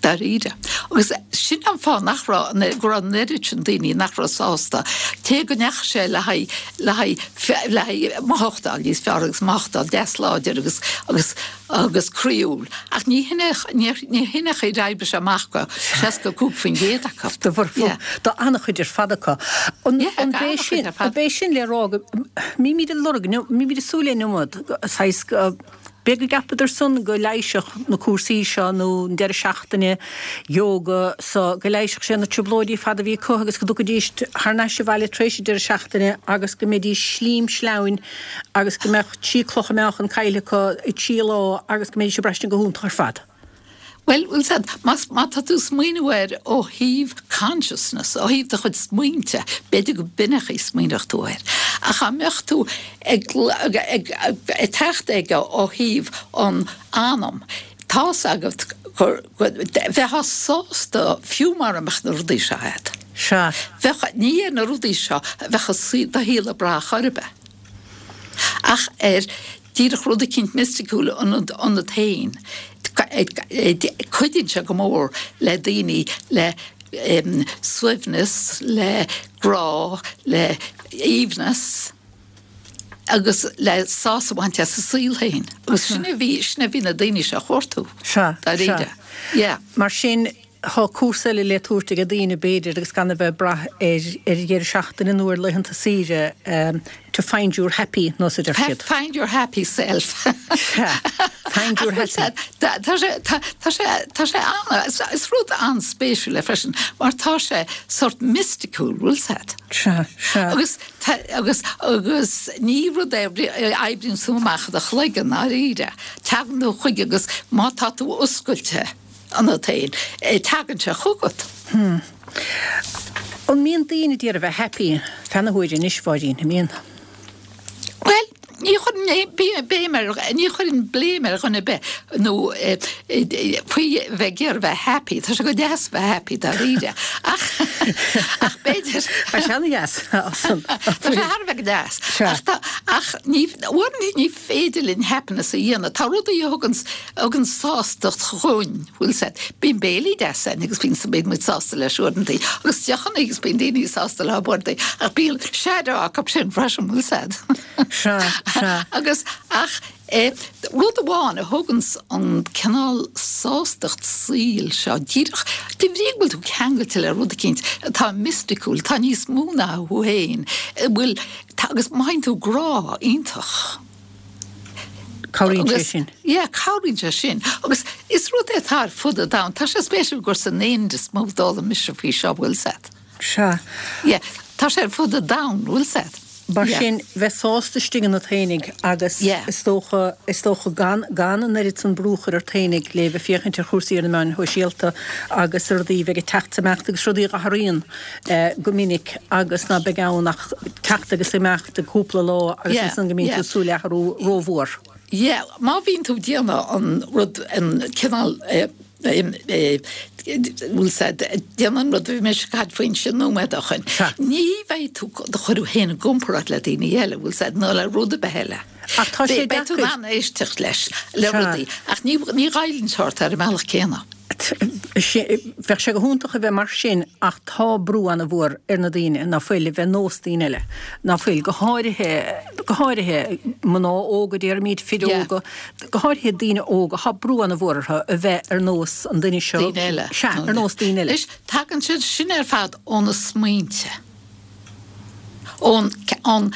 dáiríre. Agus sin an fáth nach raibh, go raibh an oiread sin daoine nach raibh sásta, cé go ndeachaigh sé le haghaidh, le haghaidh, le haghaidh mothachtáil níos fearr agus mothachtáil deas láidir agus, agus, agus croíúil, ach ní hin é, ní hin é an chaoi ar oibrigh sé amach go 65% acu. Do bhur, do an-chuid ar fad acu. An, an b'é sin, an b'é sin le rá go mbímid ag lorg, mbímid ag súil le an iomad, saghas, b'é go gceapadar san go leighisfeadh na cúrsaí seo nó an deireadh seachtaine yoga so, go leighisfeadh sé na trioblóidí ar fad a bhí acu agus go dtiocfaidís thar n-ais abhaile tar éis an deireadh seachtaine agus go mbeidís slim sleamhain agus go mbeadh trí clocha meáchan caillte acu i dtrí lá agus go mbeidís ag braistint go hiontach ar fad. Bhuel, bhfuil 's a'd, más, má tá tú ag smaoineamh air ó thaobh consciousness, ó thaobh do chuid smaointe, b'fhéidir go b'in an chaoi a smaoineodh tú air. Ach dá mbeadh tú ag, ag, ag, ag teacht aige ó thaobh an anam, tá's agat gur, go, bheifeá sásta fiú mara mbeadh na rudaí seo a'd. Sea. Bheadh, ní ar na rudaí seo a bheadh do shaol ag brath chor ar bith. Ach ar díreach rud eicínt misticiúil ionat féin, cuidíonn sé go mór le daoine le suaimhneas, le grá, le haoibhneas agus le sásamh a bhaint as a saol féin. Agus sin a bhí, sin a bhí na daoine seo a chuartú, dáiríre. Yeah. Mar sin, Tá cúrsa eile le tabhairt ag daoine, b'fhéidir, agus gan a bheith ag brath ar dheireadh seachtaine nó ar laethanta saoire, to find your happy, nós a deir siad. Find your happy self. Sea, find your happy. Tá sé, tá, tá sé, tá sé an, is rud an-spéisiúil é freisin, mar tá sé sort misticiúil, bhfuil 's a'd? Sea, sea. Agus, tá, agus, agus ní rud é a oibríonn tú amach i do chloigeann, ndáiríre. Tagann tú chuige agus má tá tú oscailte, ionat féin, tagann sé chugat. Hmm. An mbíonn daoine ag iarraidh a bheith happy feadh na huaire anois, Mháirín, an mbíonn? Bhuel, ní chuireann. chuirfinn béim ar, ní chuirfinn blame ar dhuine ar bith nó faoi bheith ag iarraidh bheith happy, tá sé go deas bheith happy dáiríre ach ach b'fhéidir. Tá sé ana-dheas. Tá sé thar a bheith go deas. Ach tá, ach ní, uaireanta ní féidir linn happiness a dhéanamh. Tá rudaí a thugann, a thugann sástacht dhúinn, bhfuil 's a'd. Bíonn béilí deas a'inn agus bíonn, bíonn muid sásta leis uaireanta agus deochanna agus bíonn daoine sásta leo uaireanta ach bíonn shadow acu sin freisin, bhfuil 's a'd. Sea, sea. Agus, ach eh, rud amháin a thuganns an cineál sástacht saoil seo, díreach de bhrí go bhfuil tú ceangailte le rud eicínt atá misticiúil, atá níos mó ná thú féin, a bhfuil, tá, agus mothaíonn tú grá iontach. Cabhraíonn sé sin. Yeah, cabhraíonn sé sin. Agus is rud é atá ar fud an domhain. Tá sé spéisiúil gur san Ind is mó a d'fhoghlaim mise faoi seo, bhfuil 's a'd. Sea. Yeah, tá sé ar fud an domhain, bhfuil 's a'd. Mar sin, bheith sásta istigh ionat fhéinig agus is dócha, is dócha gan, gan an oiread san brú a chur ort fhéinig le bheith féachaint ar chúrsaí ar na meáin shóisialta agus ar rudaí a bheidh ag teacht 's imeacht agus rudaí a athraíonn go minic agus ná beidh ann ach teacht agus imeacht i gcúpla lá agus ansan go mbíonn tú ag súil le athrú rómhór. Yeah, má bhíonn tú ag déanamh an rud, an cineál, bhfuil 's a'd, déanamh an rud a bhí mise ag caint faoi ansin nóiméad ó shoin, ní bheidh tú do chur thú féin i gcomparáid le daoine eile, bhfuil 's a'd, nó le rud ar bith eile. Ach tá sé deacair. Beidh tú in ann éisteacht leis, le rudaí, ach ní ghoilleann sé ort ar an mbealach céanna. Bheadh sé go hiontach a bheith mar sin ach tá brú ana-mhór ar na daoine ná fuil a bheith nós daoine eile, ná fuil, go háirithe, go háirithe mná óga, déarfaimid, fir óga, go háirithe daoine óga, tá brú ana-mhór orthu a bheith ar nós an duine seo. Daoine eile. Sea, ar nós daoine eile. Anois, tagann siad sin ar fad ó na smaointe. ón an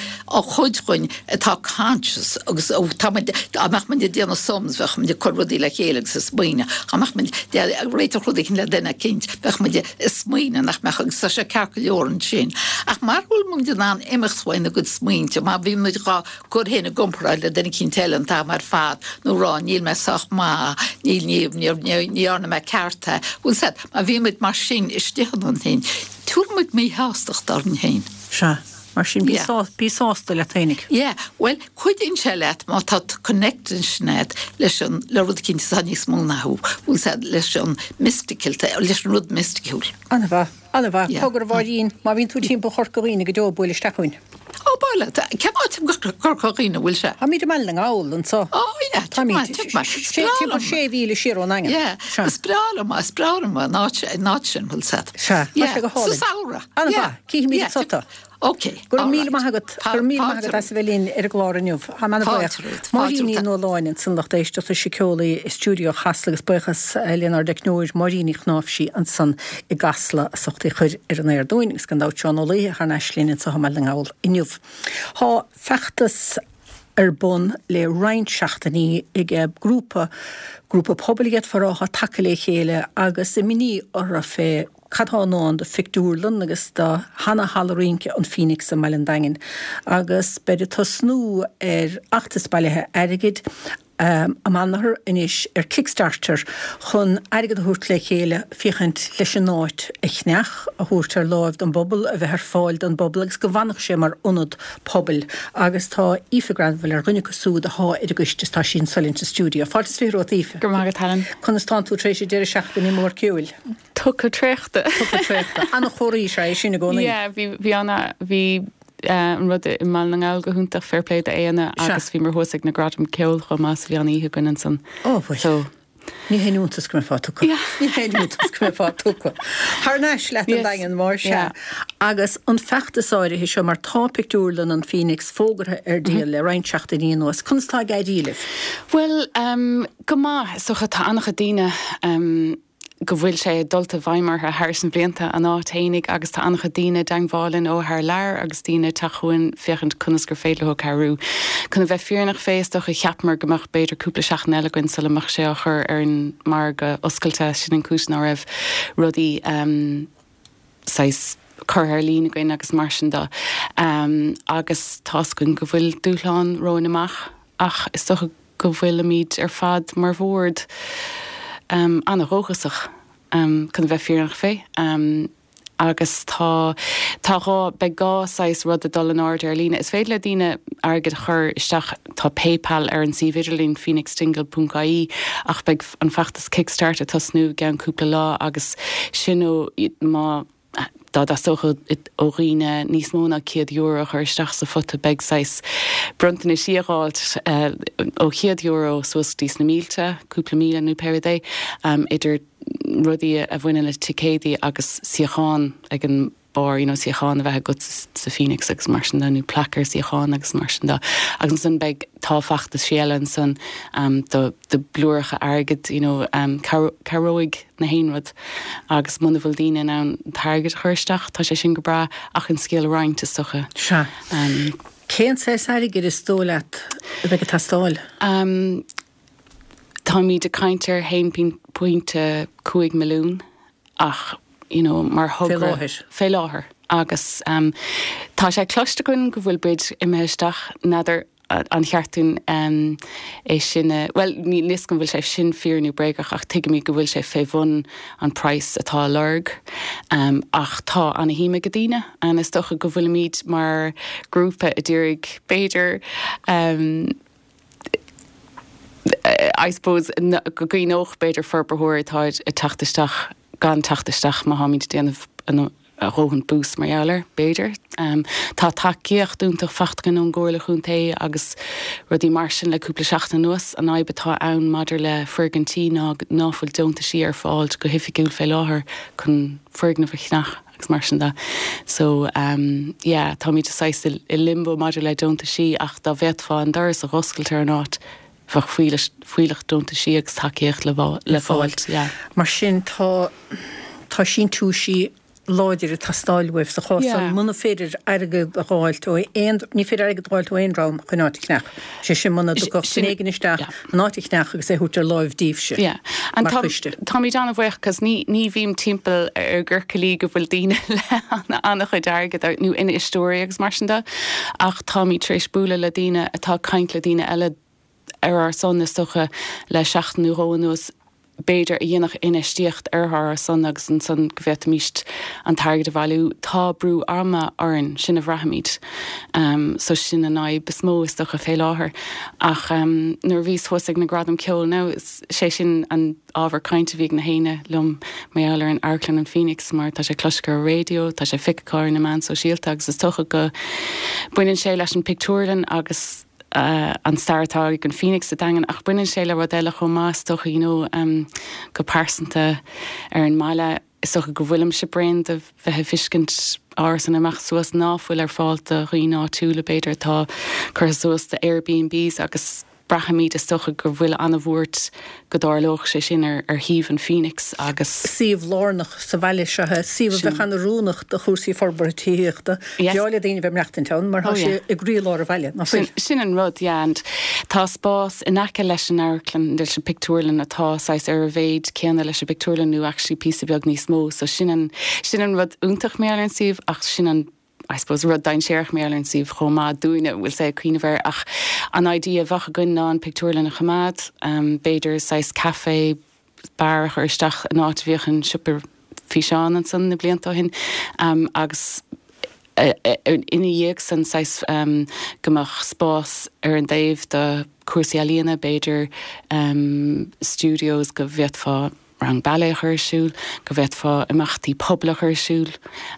chuid dhúinn atá conscious agus tá muid, dá mbeadh muid ag déanamh sums bheadh muid ag cur rudaí le chéile agus ag smaoineamh, dá mbeadh muid ag réiteach rud éicint le duine eicínt bheadh muid ag smaoineamh nach mbeadh agus tá sé ceart go leor ansin. Ach mara bhfuil muid in ann imeacht uainár gcuid smaointe, má bhíonn muid dhá gcur féin i gcomparáid le duine eicínt eile an t-am ar fad nó rá níl mé sách maith, níl, ní, ní, ní dhearna mé ceart é, bhfuil 's a'd, má bhíonn muid mar sin istigh ionainn féin, Tabharfaidh muid míshástacht orainn féin. Sea. Mar sin, bí sá, bí sásta leat fhéinig. Yeah. Bhuel, cuidíonn sé leat má tá connection a'd leis an, le rud eicínt atá níos mó ná thú, bhfuil 's a'd, leis an mystical, leis an rud misticiúil. An-mhaith. An-mhaith. Yeah. Cogar a Mháirín, má bhíonn tú timpeall Chorca Dhuibhne go deo, buail isteach chugainn. Ó, ba leat. Cén áit i gCorca Dhuibhne a bhfuil sé? Táimid i mBaile na nGall anso. Ó, yeah, Táimid timpeall sé mhíle siar ón nDaingean. Yeah, is breá liom, is breá liom an áit, an áit sin, bhfuil 's a'd. Sea, tá sé go hálainn. Sa samhradh. An-mhaith, cífimid anso tú. Ok, Go raibh míle maith agat, go raibh míle maith agat as a bheith linn ar an gclár inniu. Táim an-bhuíoch. Máirín Ní Nualláin ansan lucht éisteachta síceolaí i stiúideo Chasla agus buíochas lenár dteicneoir Máirín Ní Chnáimhsí ansan i gCasla as ucht í chur ar an aer dúinn agus gan dabht Seán Ó Laoithe thar n-ais linn anso i mBaile na nGall inniu. Tá feachtas ar bun le roinnt seachtainí ag grúpa, grúpa pobail a d'fhéadfá a rá, atá tagtha le chéile agus imní orthu fé cad tá i ndán do phictiúrlann agus do sheana-halla rince an Phoenix i mBaile an Daingin agus beid ag tosnú ar fheachtas bailithe airgid amanathar anois ar Kickstarter chun airgead a thabhairt le chéile féachaint leis an áit a cheannach, a thabhairt ar láimh don bpobal, a bheith ar fáil don bpobal agus go bhfanfadh sé mar ionad pobail. Agus tá Aoife Granville ar dhuine acu súd athá ar an gcoiste is tá sí anso linn sa stiúideo. Fáilte is 20 romhat Aoife. Go raibh maith agat Helen. Conas tánn tú tar éis an deireadh seachtaine mór ceoil? Tugtha traochta. Tugtha traochta. Ana-chomhartha is ea é sin i gcónaí. Yeah, bhí, bhí ana, bhí an rud i mBaile na nGall go hiontach, fair play d'Éanna agus bhíomar thuas ag na Gradaim Ceoil chomh maith so bhí an-oíche againn ansan. Ó bhuel. So. Ní haon iontas go mbeifeá tugtha. Yeah. Ní haon iontas go mbeifeá tugtha. Thar n-ais leat an Daingean mar sea. Yeah. Agus an feachtas áirithe seo mar tá pictiúrlann an Phoenix fógartha ar díol le roinnt seachtainí anuas. Conas tá ag éirí libh? Bhuel, go maith. Is dócha tá an-chuid daoine go bhfuil sé dulta i bhfeidhm orthu thar na blianta, an áit fhéinig agus tá an-chuid daoine i dteangmháil linn ó thar lear agus daoine ag teacht chugainn féachaint conas gur féidir leo cabhrú. Chun a bheith fírinneach fé, is dócha, cheapamar go mbeadh b'fhéidir cúpla seachtain eile againn sula mbeadh sé á chur ar an margadh oscailte, sin an cúis ná raibh rudaí saghas curtha ar líne againn agus mar sin de. Agus tá's againn go bhfuil dúshlán romhainn amach ach is dócha go bhfuilimid ar fad mar bhord an-dhóchasach, chun a bheith fírinneach fé. Agus tá, tá dhá, beidh dhá saghas rud ag dul in airde ar líne. Is féidir le daoine airgead a chur isteach, tá PayPal ar an suíomh idirlín, phoenixdingle ponc ie, ach beidh an feachtas Kickstart ag tosnú i gceann cúpla lá agus sin ó, má, dá dteastódh ó dhaoine níos mó ná €100 a chur isteach sa phota beidh saghas bronntanaisí á dh'fháilt ó €100 suas go dtí sna mílte, cúpla míle nó pé rud é, idir rudaí a bhaineann le ticéadaí agus suíochán ag an barr, you know suíochán a bheith agat sa Phoenix agus mar sin de nó plaic ar suíochán agus mar sin de. Agus ansan beidh, tá feachtaisí eile ansan do do blúireacha airgid, you know cabhróidh na haon rud agus muna bhfuil daoine in ann an t-airgead a chur isteach, tá sé sin go breá ach an scéal a roinnt is dócha. Sea. Cén saghas airgid is dóigh leat a bheidh ag teastáil? Táimid ag caint ar 1.5 milliún ach you know mar thogra. Fé láthair. Fé láthair agus tá sé cloiste againn go bhfuil bid imithe isteach, n'fheadar an cheart dúinn é sin a, bhuel níl fhios agam an bhfuil sé sin fíor nó bréagach ach tuigimid go bhfuil sé fé bhun an praghas atá á lorg ach tá ana-shuim ag daoine and is dócha go bhfuilimid mar grúpa a d'iarraidh b'fhéidir I suppose go gcuimhneodh b'fhéidir forbarthóir atá ag teacht isteach gan teacht isteach má tháimid ag déanamh a dhóthain bús mar gheall air, b'fhéidir. Tá tacaíocht iontach faighte againn ón gComhairle Chontae agus rudaí mar sin le cúpla seachtain anuas. An fhadhb atá ann maidir le foirgintí ná ná fuil deontaisí ar fáil go hoifigiúil fé láthair chun foirgneamh a cheannach agus mar sin de. So yeah, táimid saghas i limbo maidir le deontaisí ach dá bhféadfá an doras a dh'oscailt ar an áit bheadh fuílleach deontaisí agus tacaíocht le fáilt, yeah. Mar sin tá tá síntiúisí láidir ag teastáil uaibh sa chás san muna féidir airgead a dh'fháilt ó aon, ní féidir airgead a dh'fháilt ó aon dream chun áit a cheannach. Sé sin muna dtiocfadh duine éigin isteach an áit a cheannach agus é a thabhairt ar láimh díbhse mar choiste. Táimid an-bhuíoch cos ní ní bhím timpeall ar gciorcailí go bhfuil daoine le an-chuid airgid nó infheisteoirí agus mar sin de ach táimid tar éis bualadh le daoine atá ag caint le daoine eile ar ár son, is dócha, le seachtain nó dhó anuas, b'fhéidir, a dhéanfadh infheistíocht ar ár son agus ansan go bhféadfaimíst an t-airgead a bhailiú. Tá brú ama orainn, sin a bhraithimid. So sin an fhadhb is mó, is dócha, fé láthair. Ach nuair a bhíos thuas ag na Gradaim Ceoil now, sé sin an ábhar cainte a bhí ag na héinne liom mar gheall ar an Amharclann an Phoenix mar tá sé cloiste ar an raidió, tá sé feicthe ar na meáin sóisialta agus is dócha go baineann sé leis an pictiúrlann agus an stair atá ag an Phoenix sa Daingean ach baineann sé le rud eile chomh maith is dócha you know go pearsanta ar an mbaile is dócha go bhfuilimse bréan de bheith ag feiscint árasáin ag imeacht suas ná fuil ar fáil do dhaoine áitiúla b'fhéidir atá curtha suas do Airbnbs agus braithimid is dócha go bhfuil an-bhuairt go dtarlódh sé sin ar shuíomh an Phoenix agus. Suíomh lárnach sa bhaile seo é, suíomh a bheadh an-oiriúnach do chúrsaí forbartha tithíochta. Breá le daoine a bheith ag maireachtaint ann mar tá sé i gcroílár an bhaile, ná fuil? Sin an rud, yeah, and tá spás in aice leis an amharclann, leis an pictiúrlann atá saghas ar a mhéid céanna leis an bpictiúrlann nó actually píosa beag níos mó, so sin an, sin an rud iontach mar gheall ar an suíomh ach sin an, I suppose, rud dainséarach mar gheall ar an suíomh chomh maith dúinne a bhfuil sé ag cuimhneamh air ach an idea a bheadh againn ná an pictiúrlann a choimeád, b'fhéidir saghas café, beár a chur isteach in áit a bhíodh an siopa físeán ansan na blianta ó shin agus ina dhiaidh san saghas go mbeadh spás ar an dtaobh do chúrsaí ealaíona, b'fhéidir studios go bhféadfá rang ballet a chur ar siúl, go bhféadfá imeachtaí pobail a chur ar siúl.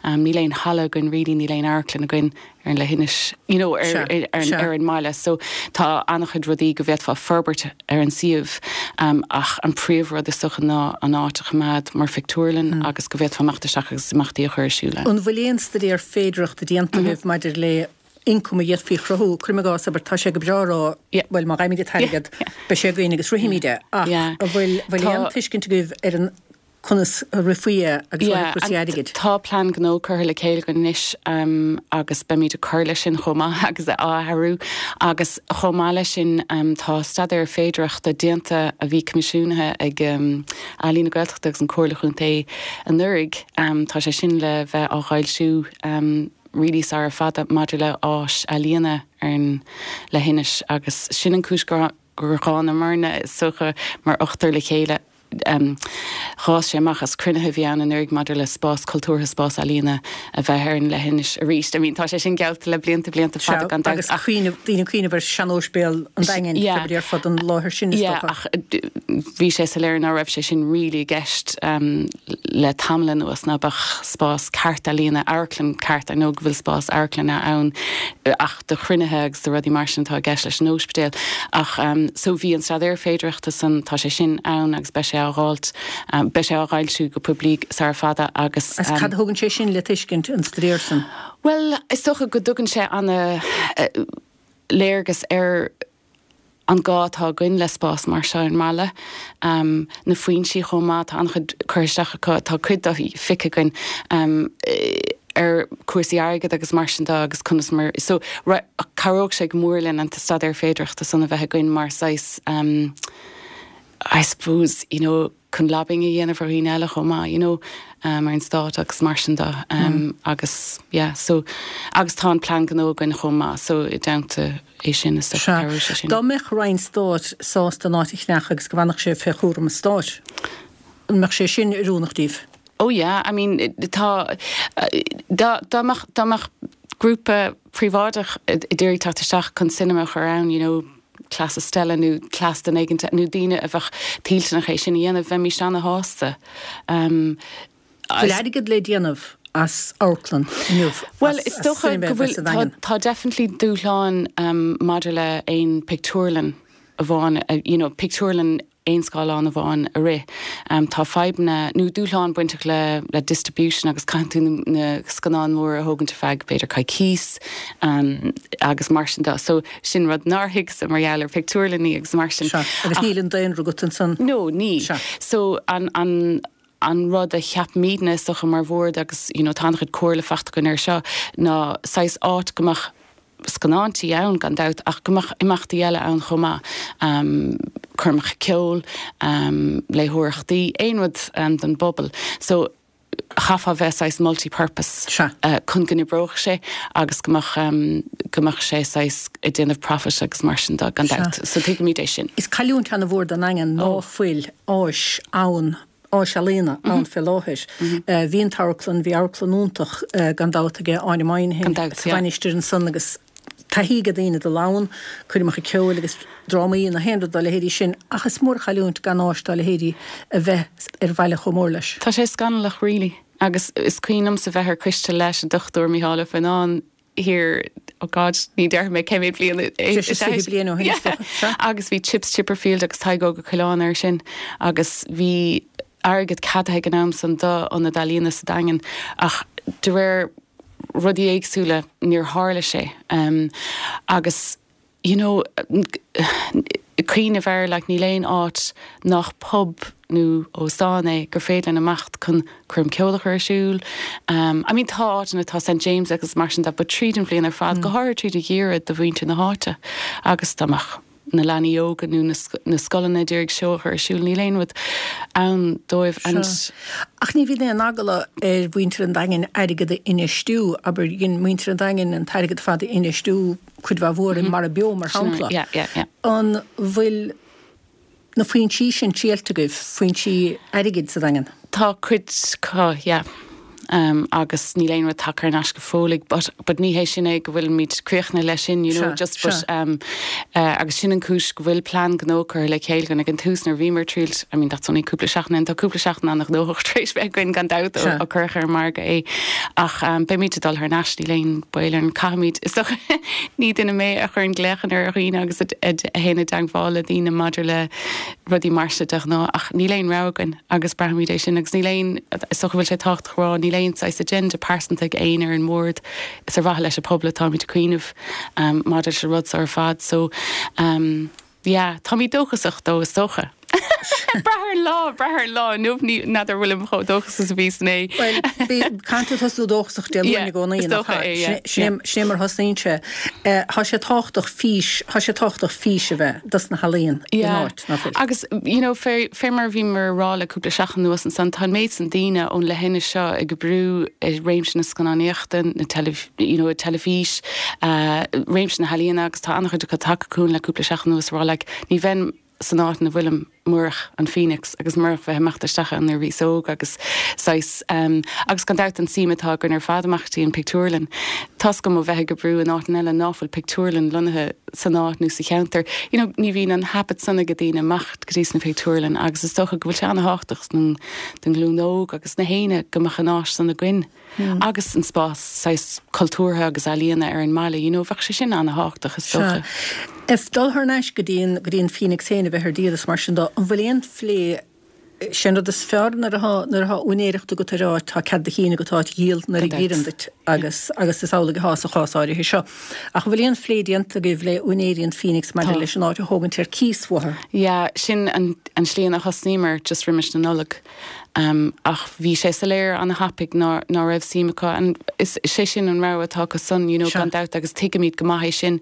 Níl aon halla againn really, níl aon amharclann againn ar an leithinis, you know, ar, ar, ar an mbaile. So tá an-chuid rudaí go bhféadfá forbairt ar an suíomh ach an príomhrud is dócha ná an áit a choimeád mar phictiúrlann agus go bhféadfá imeacht isteach agus imeachtaí a chur ar siúl ann. An bhfuil aon staidéar féidearthachta déanta agaibh maidir le ioncam a d'fhéadfaí a chruthú, cuirim i gcás, abair, tá sé go breá a rá, bhuel, má fhaighimid an t-airgead, beidh sé againn agus rithfimid é, ach an bhfuil, bhfuil aon tuiscint agaibh ar an, conas a rithfí é agus ó thaobh cúrsaí airgid? Tá plean gnó curtha le chéile againn anois agus beimid ag cur leis sin chomh maith agus á athrú agus chomh maith leis sin tá staidéar féidearthachta déanta a bhí coimisiúnaithe ag Ealaín na Gaeltachta agus an Comhairle Chontae anuraidh. Tá sé sin le bheith á fhoilsiú really sara fada maidir le áis ealaíona ar an leithinis agus sin an cúis gur gur thángamarna is dócha mar ochtar le chéile. D'fhás sé amach as cruinnithe a bhí ann anuraidh maidir le spás cultúrtha, spás ealaíona a bheith ar an leithinis arís. I mean, tá sé sin geallta le blianta, blianta fada gan dabht. Agus cuimhneamh, daoine ag cuimhneamh ar sean-óispidéal an Daingin, Yeah. ar fud an láthair sin, is Yeah, dócha. ach bhí sé soiléir ná raibh sé sin really i gceist le tamall anuas, ná beadh spás ceart ealaíona, amharclann ceart, I know go bhfuil spás amharclainne ann ach do chruinnithe agus do rudaí mar sin atá i gceist leis an óispidéal. Ach so bhí an staidéar féidearthachta san, tá sé sin ann agus beidh sé á dháilt, beidh sé á fhoilsiú go poiblí sara fada agus. Agus cad a thugann sé sin le tuiscint, an staidéar san? Bhuel, is dócha go dtugann sé ana léargas ar an gá atá againn le spás mar seo ar an mbaile. Na foinsí chomh maith, tá an-chuid curtha isteach acu, tá cuid dá feicthe againn ar cúrsaí airgid agus mar sin de agus conas mar, so cabhróidh sé go mór linn an t-staidéar féidearthachta san a bheith againn mar saghas I suppose, you know, chun lobbying a dhéanamh ar dhaoine eile chomh maith, you know, ar an stát agus mar sin de agus yeah, so agus tá an plean gnó againn chomh maith so i dteannta é sin is dócha cabhróidh sé sin. Dá mbeadh Roinn Stáit sásta an áit a cheannach agus go bhfanfadh sé fé chúram an Stáit, an mbeadh sé sin oiriúnach daoibh? Oh yeah, I mean tá, dá dá mbeadh dá mbeadh grúpa príobháideach ag iarraidh teacht isteach chun cinema a chur ann, you know, cleas Stella nó cleas duine éigin nó daoine a bheadh toilteanach é sin a dhéanamh, bheimís ana-shásta. Bhfuil airgead le déanamh as amharclann inniu, Bhuel, is dócha go bhfuil, tá definitely dúshláin maidir le aon pictiúrlann amháin, you know, pictiúrlann aon scáileán amháin a rith. Tá fadhbanna nó dúshláin bainteach le le distribution agus caitheann tú na scannáin mhóra a thógaint ar feadh b'fhéidir coicís agus mar sin de. So sin rud nár thuigse mar gheall ar pictiúrlannaí agus mar sin. Sea, agus níl an daonra agat ansan. No, níl. Sea. So an an an rud a cheapaimidne is dócha mar bhord agus you know tá an-chuid comhairle faighte againn air seo ná saghas áit go mbeadh scannáintí ann gan dabht ach go mbeadh imeachtaí eile ann chomh maith, coirmeacha ceoil, léitheoireachtaí, aon rud don bpobal. So chaithfeá bheith saghas multi-purpose chun go n-oibreodh sé agus go mbeadh, go mbeadh sé saghas ag déanamh profit agus mar sin de gan dabht. So tuigimid é sin. Is cailliúint ana-mhór don Daingean ná fuil áis ann áis ealaíona ann fé láthair. Bhí an t-amharclann, bhí amharclann iontach gan dabht aige Áine Moynihan sa Mhainistir ansan agus taithí ag daoine dul ann, coirmeacha ceoil agus drámaí nó aon rud dá leithéidí sin ach is mór an chailliúint gan áis dá leithéidí a bheith ar bhaile chomh mór leis. Tá sé scannalach really agus is cuimhin liomsa bheith ar coiste leis an Dr Micheál Ó Fionnáin thiar, oh God, ní déarfaidh mé cé mhéad bliain é. Breis is 20 bliain ó shin, is dócha. Sea. Agus bhí Chips Chipperfield agus Tadhg Óg Ó Coileáin air sin agus bhí airgead ceadaithe ag an am san do ionad ealaíona sa Daingean ach de réir rudaí éagsúla níor tharla sé. Agus you know, cuimhneamh air, like, níl aon áit nach pub nó óstán é gur féidir linn imeacht chun coirm ceoil a chur ar siúl. I mean, tá áiteanna, tá St James agus mar sin de, but tríd an bhliain ar fad, go háirithe tríd an gheimhreadh do mhuintir na háite agus dá mbeadh na leanaí óga nó na scoileanna ag iarraidh seó a chur ar siúl, níl aon rud ann dóibh and. Ach ní bhíonn aon eagla ar mhuintir an Daingin airgead a infheistiú, abair, dhein muintir an Daingin an t-airgead ar fad a infheistiú cuid mhaith mhór i Mara Beo, mar shampla. An bhfuil na foinsí sin triailte agaibh, foinsí airgid sa Daingean? Tá cuid acu, yeah. Agus níl aon rud tagtha thar n-ais go fóill but but ní hé sin é go bhfuilimid críochnaithe leis sin, you know, just but agus sin an cúis go bhfuil plean gnó curtha le chéile againn ag an tús nuair a bhíomar ag triailt, I mean that's only cúpla seachtain in, tá cúpla seachtain an-ghnóthach tar éis bheith againn gan dabht ó cuireadh ar an margadh é ach beimid ag dul thar n-ais, níl aon baol orainn, caithfimid, is dócha ní duine mé a chuireann glaochanna ar dhaoine agus a théann i dteagmháil le daoine maidir le rudaí mar seo de ghnáth ach níl aon rogha againn agus braithimid é sin agus níl aon, is dócha go bhfuil sé tábhachtach a rá, níl aon saghas agenda pearsanta ag éinne ar an mbord, is ar mhaithe leis an pobal atáimid ag cuimhneamh maidir leis an rud seo ar fad so yeah, táimid dóchasach dó is dócha. Brath ar an lá, brath ar an lá inniu, ní, n'fheadar bhfuilim chomh dóchasach is a bhíos inné. Bhuel, caithfidh tú tosnú dóchasach Dé Luain i gcónaí, Is dócha é, yeah. Sin é mar a thosnaíonn sé. Tá sé tábhachtach fís, tá sé tábhachtach fís a bheith dos na healaíon in áit, ná fuil? Agus, you know, fé, fé mar a bhíomar a rá le cúpla seachtain anuas ansan, tá an méid san daoine ón leithinis seo ag oibriú i réimse na scannánaíochta, na teilif, you know, teilifís, réimse na healaíona agus tá an-chuid acu tagtha chugainn le cúpla seachtain anuas a rá like, ní bheinn. san áit ina bhfuilim murach an Phoenix agus murach bheith ag imeacht isteach ann nuair a bhíos óg agus saghas agus gan dabht an suim atá againn ar fad imeacht dtí an pictiúrlann. Tá's agam ó bheith ag oibriú in áiteanna eile ná fuil pictiúrlann lonnaithe san áit nó sa cheantar, you know ní bhíonn an habit san ag daoine imeacht go dtí sna pictiúrlann agus is dócha go bhfuil sé ana-thábhachtach don ghlúin óg agus na héinne go mbeadh an áis san againn. agus an spás saghas cultúrtha agus ealaíona ar an mbaile, you know, bheadh sé sin ana-thábhachtach is dócha. Sea. Ag dul thar n-ais go dtí an, go dtí an Phoenix féin a bheith ar díol is mar sin dó, an bhfuil aon phlé, sé an rud is fearr nuair atá, nuair atá úinéireacht agat ar áit, tá cead do chinn agat áit a dhíol nuair a dh'oireann duit agus, agus is amhlaidh atá sa chás áirithe seo. Ach an bhfuil aon phlé déanta agaibh le úinéirí an Phoenix maidir leis an áit a thógaint ar cíos uathu? Yeah, sin an, an slí ina thosnaíomar just roimis na Nollag. Ach bhí sé soiléir ana-thapaidh ná ná raibh suim acu and is sé sin an rogha atá acu san, you know, gan dabht agus tuigimid go maith é sin.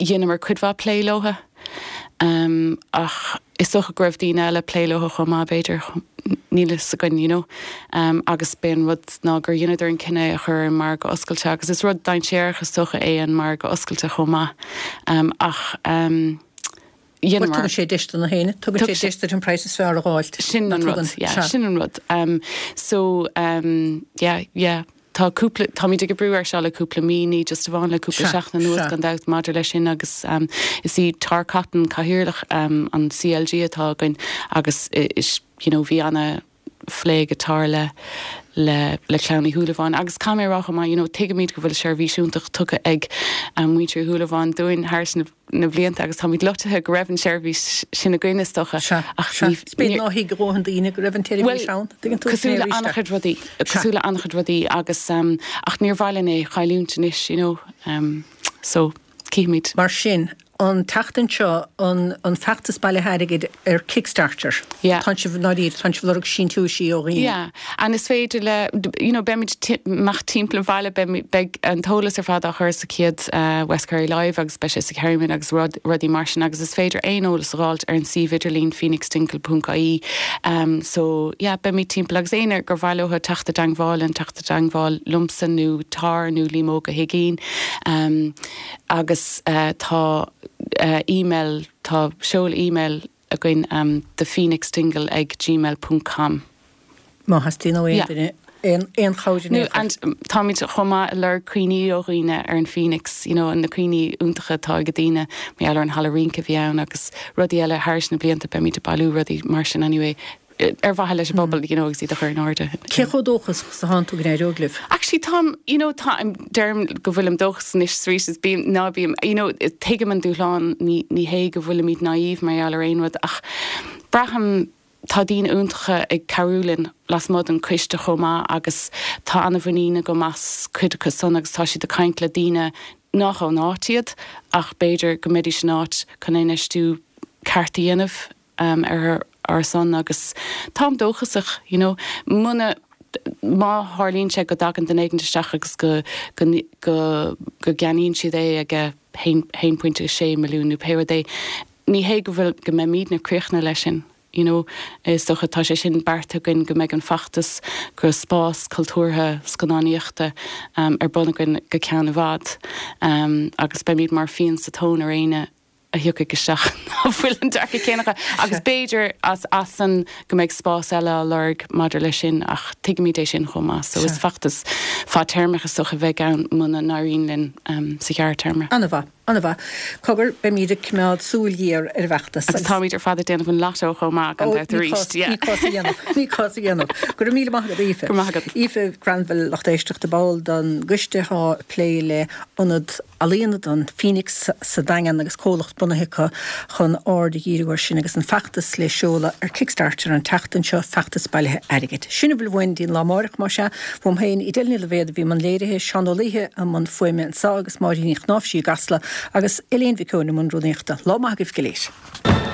Dheineamar cuid mhaith plé leotha ach is dócha go raibh daoine eile ag plé leotha chomh maith b'fhéidir, níl fhios againn, you know. Agus b'é an rud ná gur dheineadar an cinneadh é a chur ar an margadh oscailte agus is rud dainséarach is dócha é an margadh oscailte chomh maith. Ach. Bhuel, tugann sé deis do na héinne, tugann sé deis duit an praghas is fearr a dh'fháilt. Sin an rud, yeah, sin an rud. So, yeah, yeah, tá cúpla, táimid ag oibriú air seo le cúpla mí, ní just amháin le cúpla seachtain anuas gan dabht maidir leis sin agus is í Tara Cotton cathaoirleach an CLG atá againn agus is, you know, bhí ana, phlé ag Tara le le le Clann Uí Shúilleabháin agus caithfidh mé a rá chomh maith you know tuigimid go bhfuil seirbhís iontach tugtha ag muintir Uí Shúilleabháin dúinn thar na na blianta agus táimid loitithe go raibh an tseirbhís sin againn is dócha Sea, ach sea. ní Is b'fhéidir nár thuig a dhóthain daoine go raibh an tseirbhís ann, tuigeann tú, cosúil le an-chuid rudaí, cosúil le an-chuid rudaí agus ach níor mhaith linn é a chailliúint anois you know so cífimid. Mar sin, an tseachtain seo, an an feachtas bailithe airgid ar Kickstarter. Yeah. Tánn sibh, ndáiríre, tánn sibh ag lorg síntiúisí ó dhaoine. Yeah. And is féidir le, you know, beimid amach timpeall an bhaile, beimid, beidh an t-eolas ar fad á chur sa chéad West Kerry Live agus beidh sé sa Kerryman agus rud, rudaí mar sin agus is féidir aon eolas a dh'fháilt ar an suíomh idirlín phoenixdingle.ie. So, yeah, beimid timpeall agus éinne gur mhaith leo teacht i dteangmháil linn, teacht i dteangmháil liomsa nó Tara nó Liam Óg Ó hUiginn. Agus tá email, tá seoladh email againn thephoenixdingle ag gmail ponc com. Má theastaíonn ó aon duine aon chabhair in aon chor. And táimid chomh maith ag lorg cuimhní ó dhaoine ar an Phoenix, you know, na cuimhní iontacha atá ag daoine mar gheall ar an halla rince a bhí ann agus rudaí eile thairis na blianta, beimid ag bailiú rudaí mar sin anyway. ar mhaithe leis an bpobal, you know, agus iad a chur in airde. Cé chomh dóchasach is atánn tú go n-éireoidh libh? Actually táim, you know, táim, deirim go bhfuilim dóchasach anois is arís is bím, ná bím, you know, tuigim an dúshlán, ní, ní hé go bhfuilimid naive mar gheall ar aon rud ach braithim, tá daoine iontacha ag cabhrú linn lasmuigh den coiste chomh maith agus tá an-mhuinín agam as cuid acu san agus tá siad ag caint le daoine nach ón áit iad ach b'fhéidir go mbeidís in áit chun infheistiú ceart a dhéanamh. ar ár son agus táim dóchasach, you know. Muna, má tharlaíonn sé go dtagann duine éigin isteach agus go, go, go, go gceannaíonn siad é ag a haon, 1.6 milliún nó pé rud é, ní hé go bhfuil, go mbeimidne críochnaithe leis sin, you know. Is dócha, tá sé sin beartaithe againn go mbeidh an feachtas go spás cultúrtha scannánaíochta ar bun againn go ceann i bhfad agus beimid mar phian sa tóin ar éinne a thiocfaidh isteach ná fuil an dearcadh céanna acu agus b'fhéidir as as san go mbeidh spás eile á lorg maidir leis sin ach tuigimid é sin chomh maith so is feachtas fadtéarmach is dócha a bheidh ann muna n-éiríonn linn sa ghearrtéarma. An-mhaith, an-mhaith. Cogar, beimid ag coimeád súil ghéar ar an bhfeachtas agus. Agus táimid ar fad ag déanamh an lotto chomh maith gan dabht arís. Ní cás a dhéanamh, ní cás a dhéanamh. Go raibh míle maith agat Aoife. Go raibh maith agat. Aoife Granville, lucht éisteachta, ball den gcoiste atá ag plé le Ionad Ealaíona don Phoenix sa Daingean agus comhlacht bunaithe acu chun aird a dhíriú air sin agus an feachtas le seoladh ar Kickstarter an tseachtain seo, feachtas bailithe airgid. Sin a bhfuil uainn dtí'n lá amáireach, más ea. Uaim féin, Edel Ní Loibhéad a bhí i mbun léirithe, Seán Ó Laoithe i mbun fuaime anseo agus Máirín Ní Chnáimhsí i gCasla agus Elaine Mhic Eoin i mbun rúnaíochta. Lá maith agaibh go léir.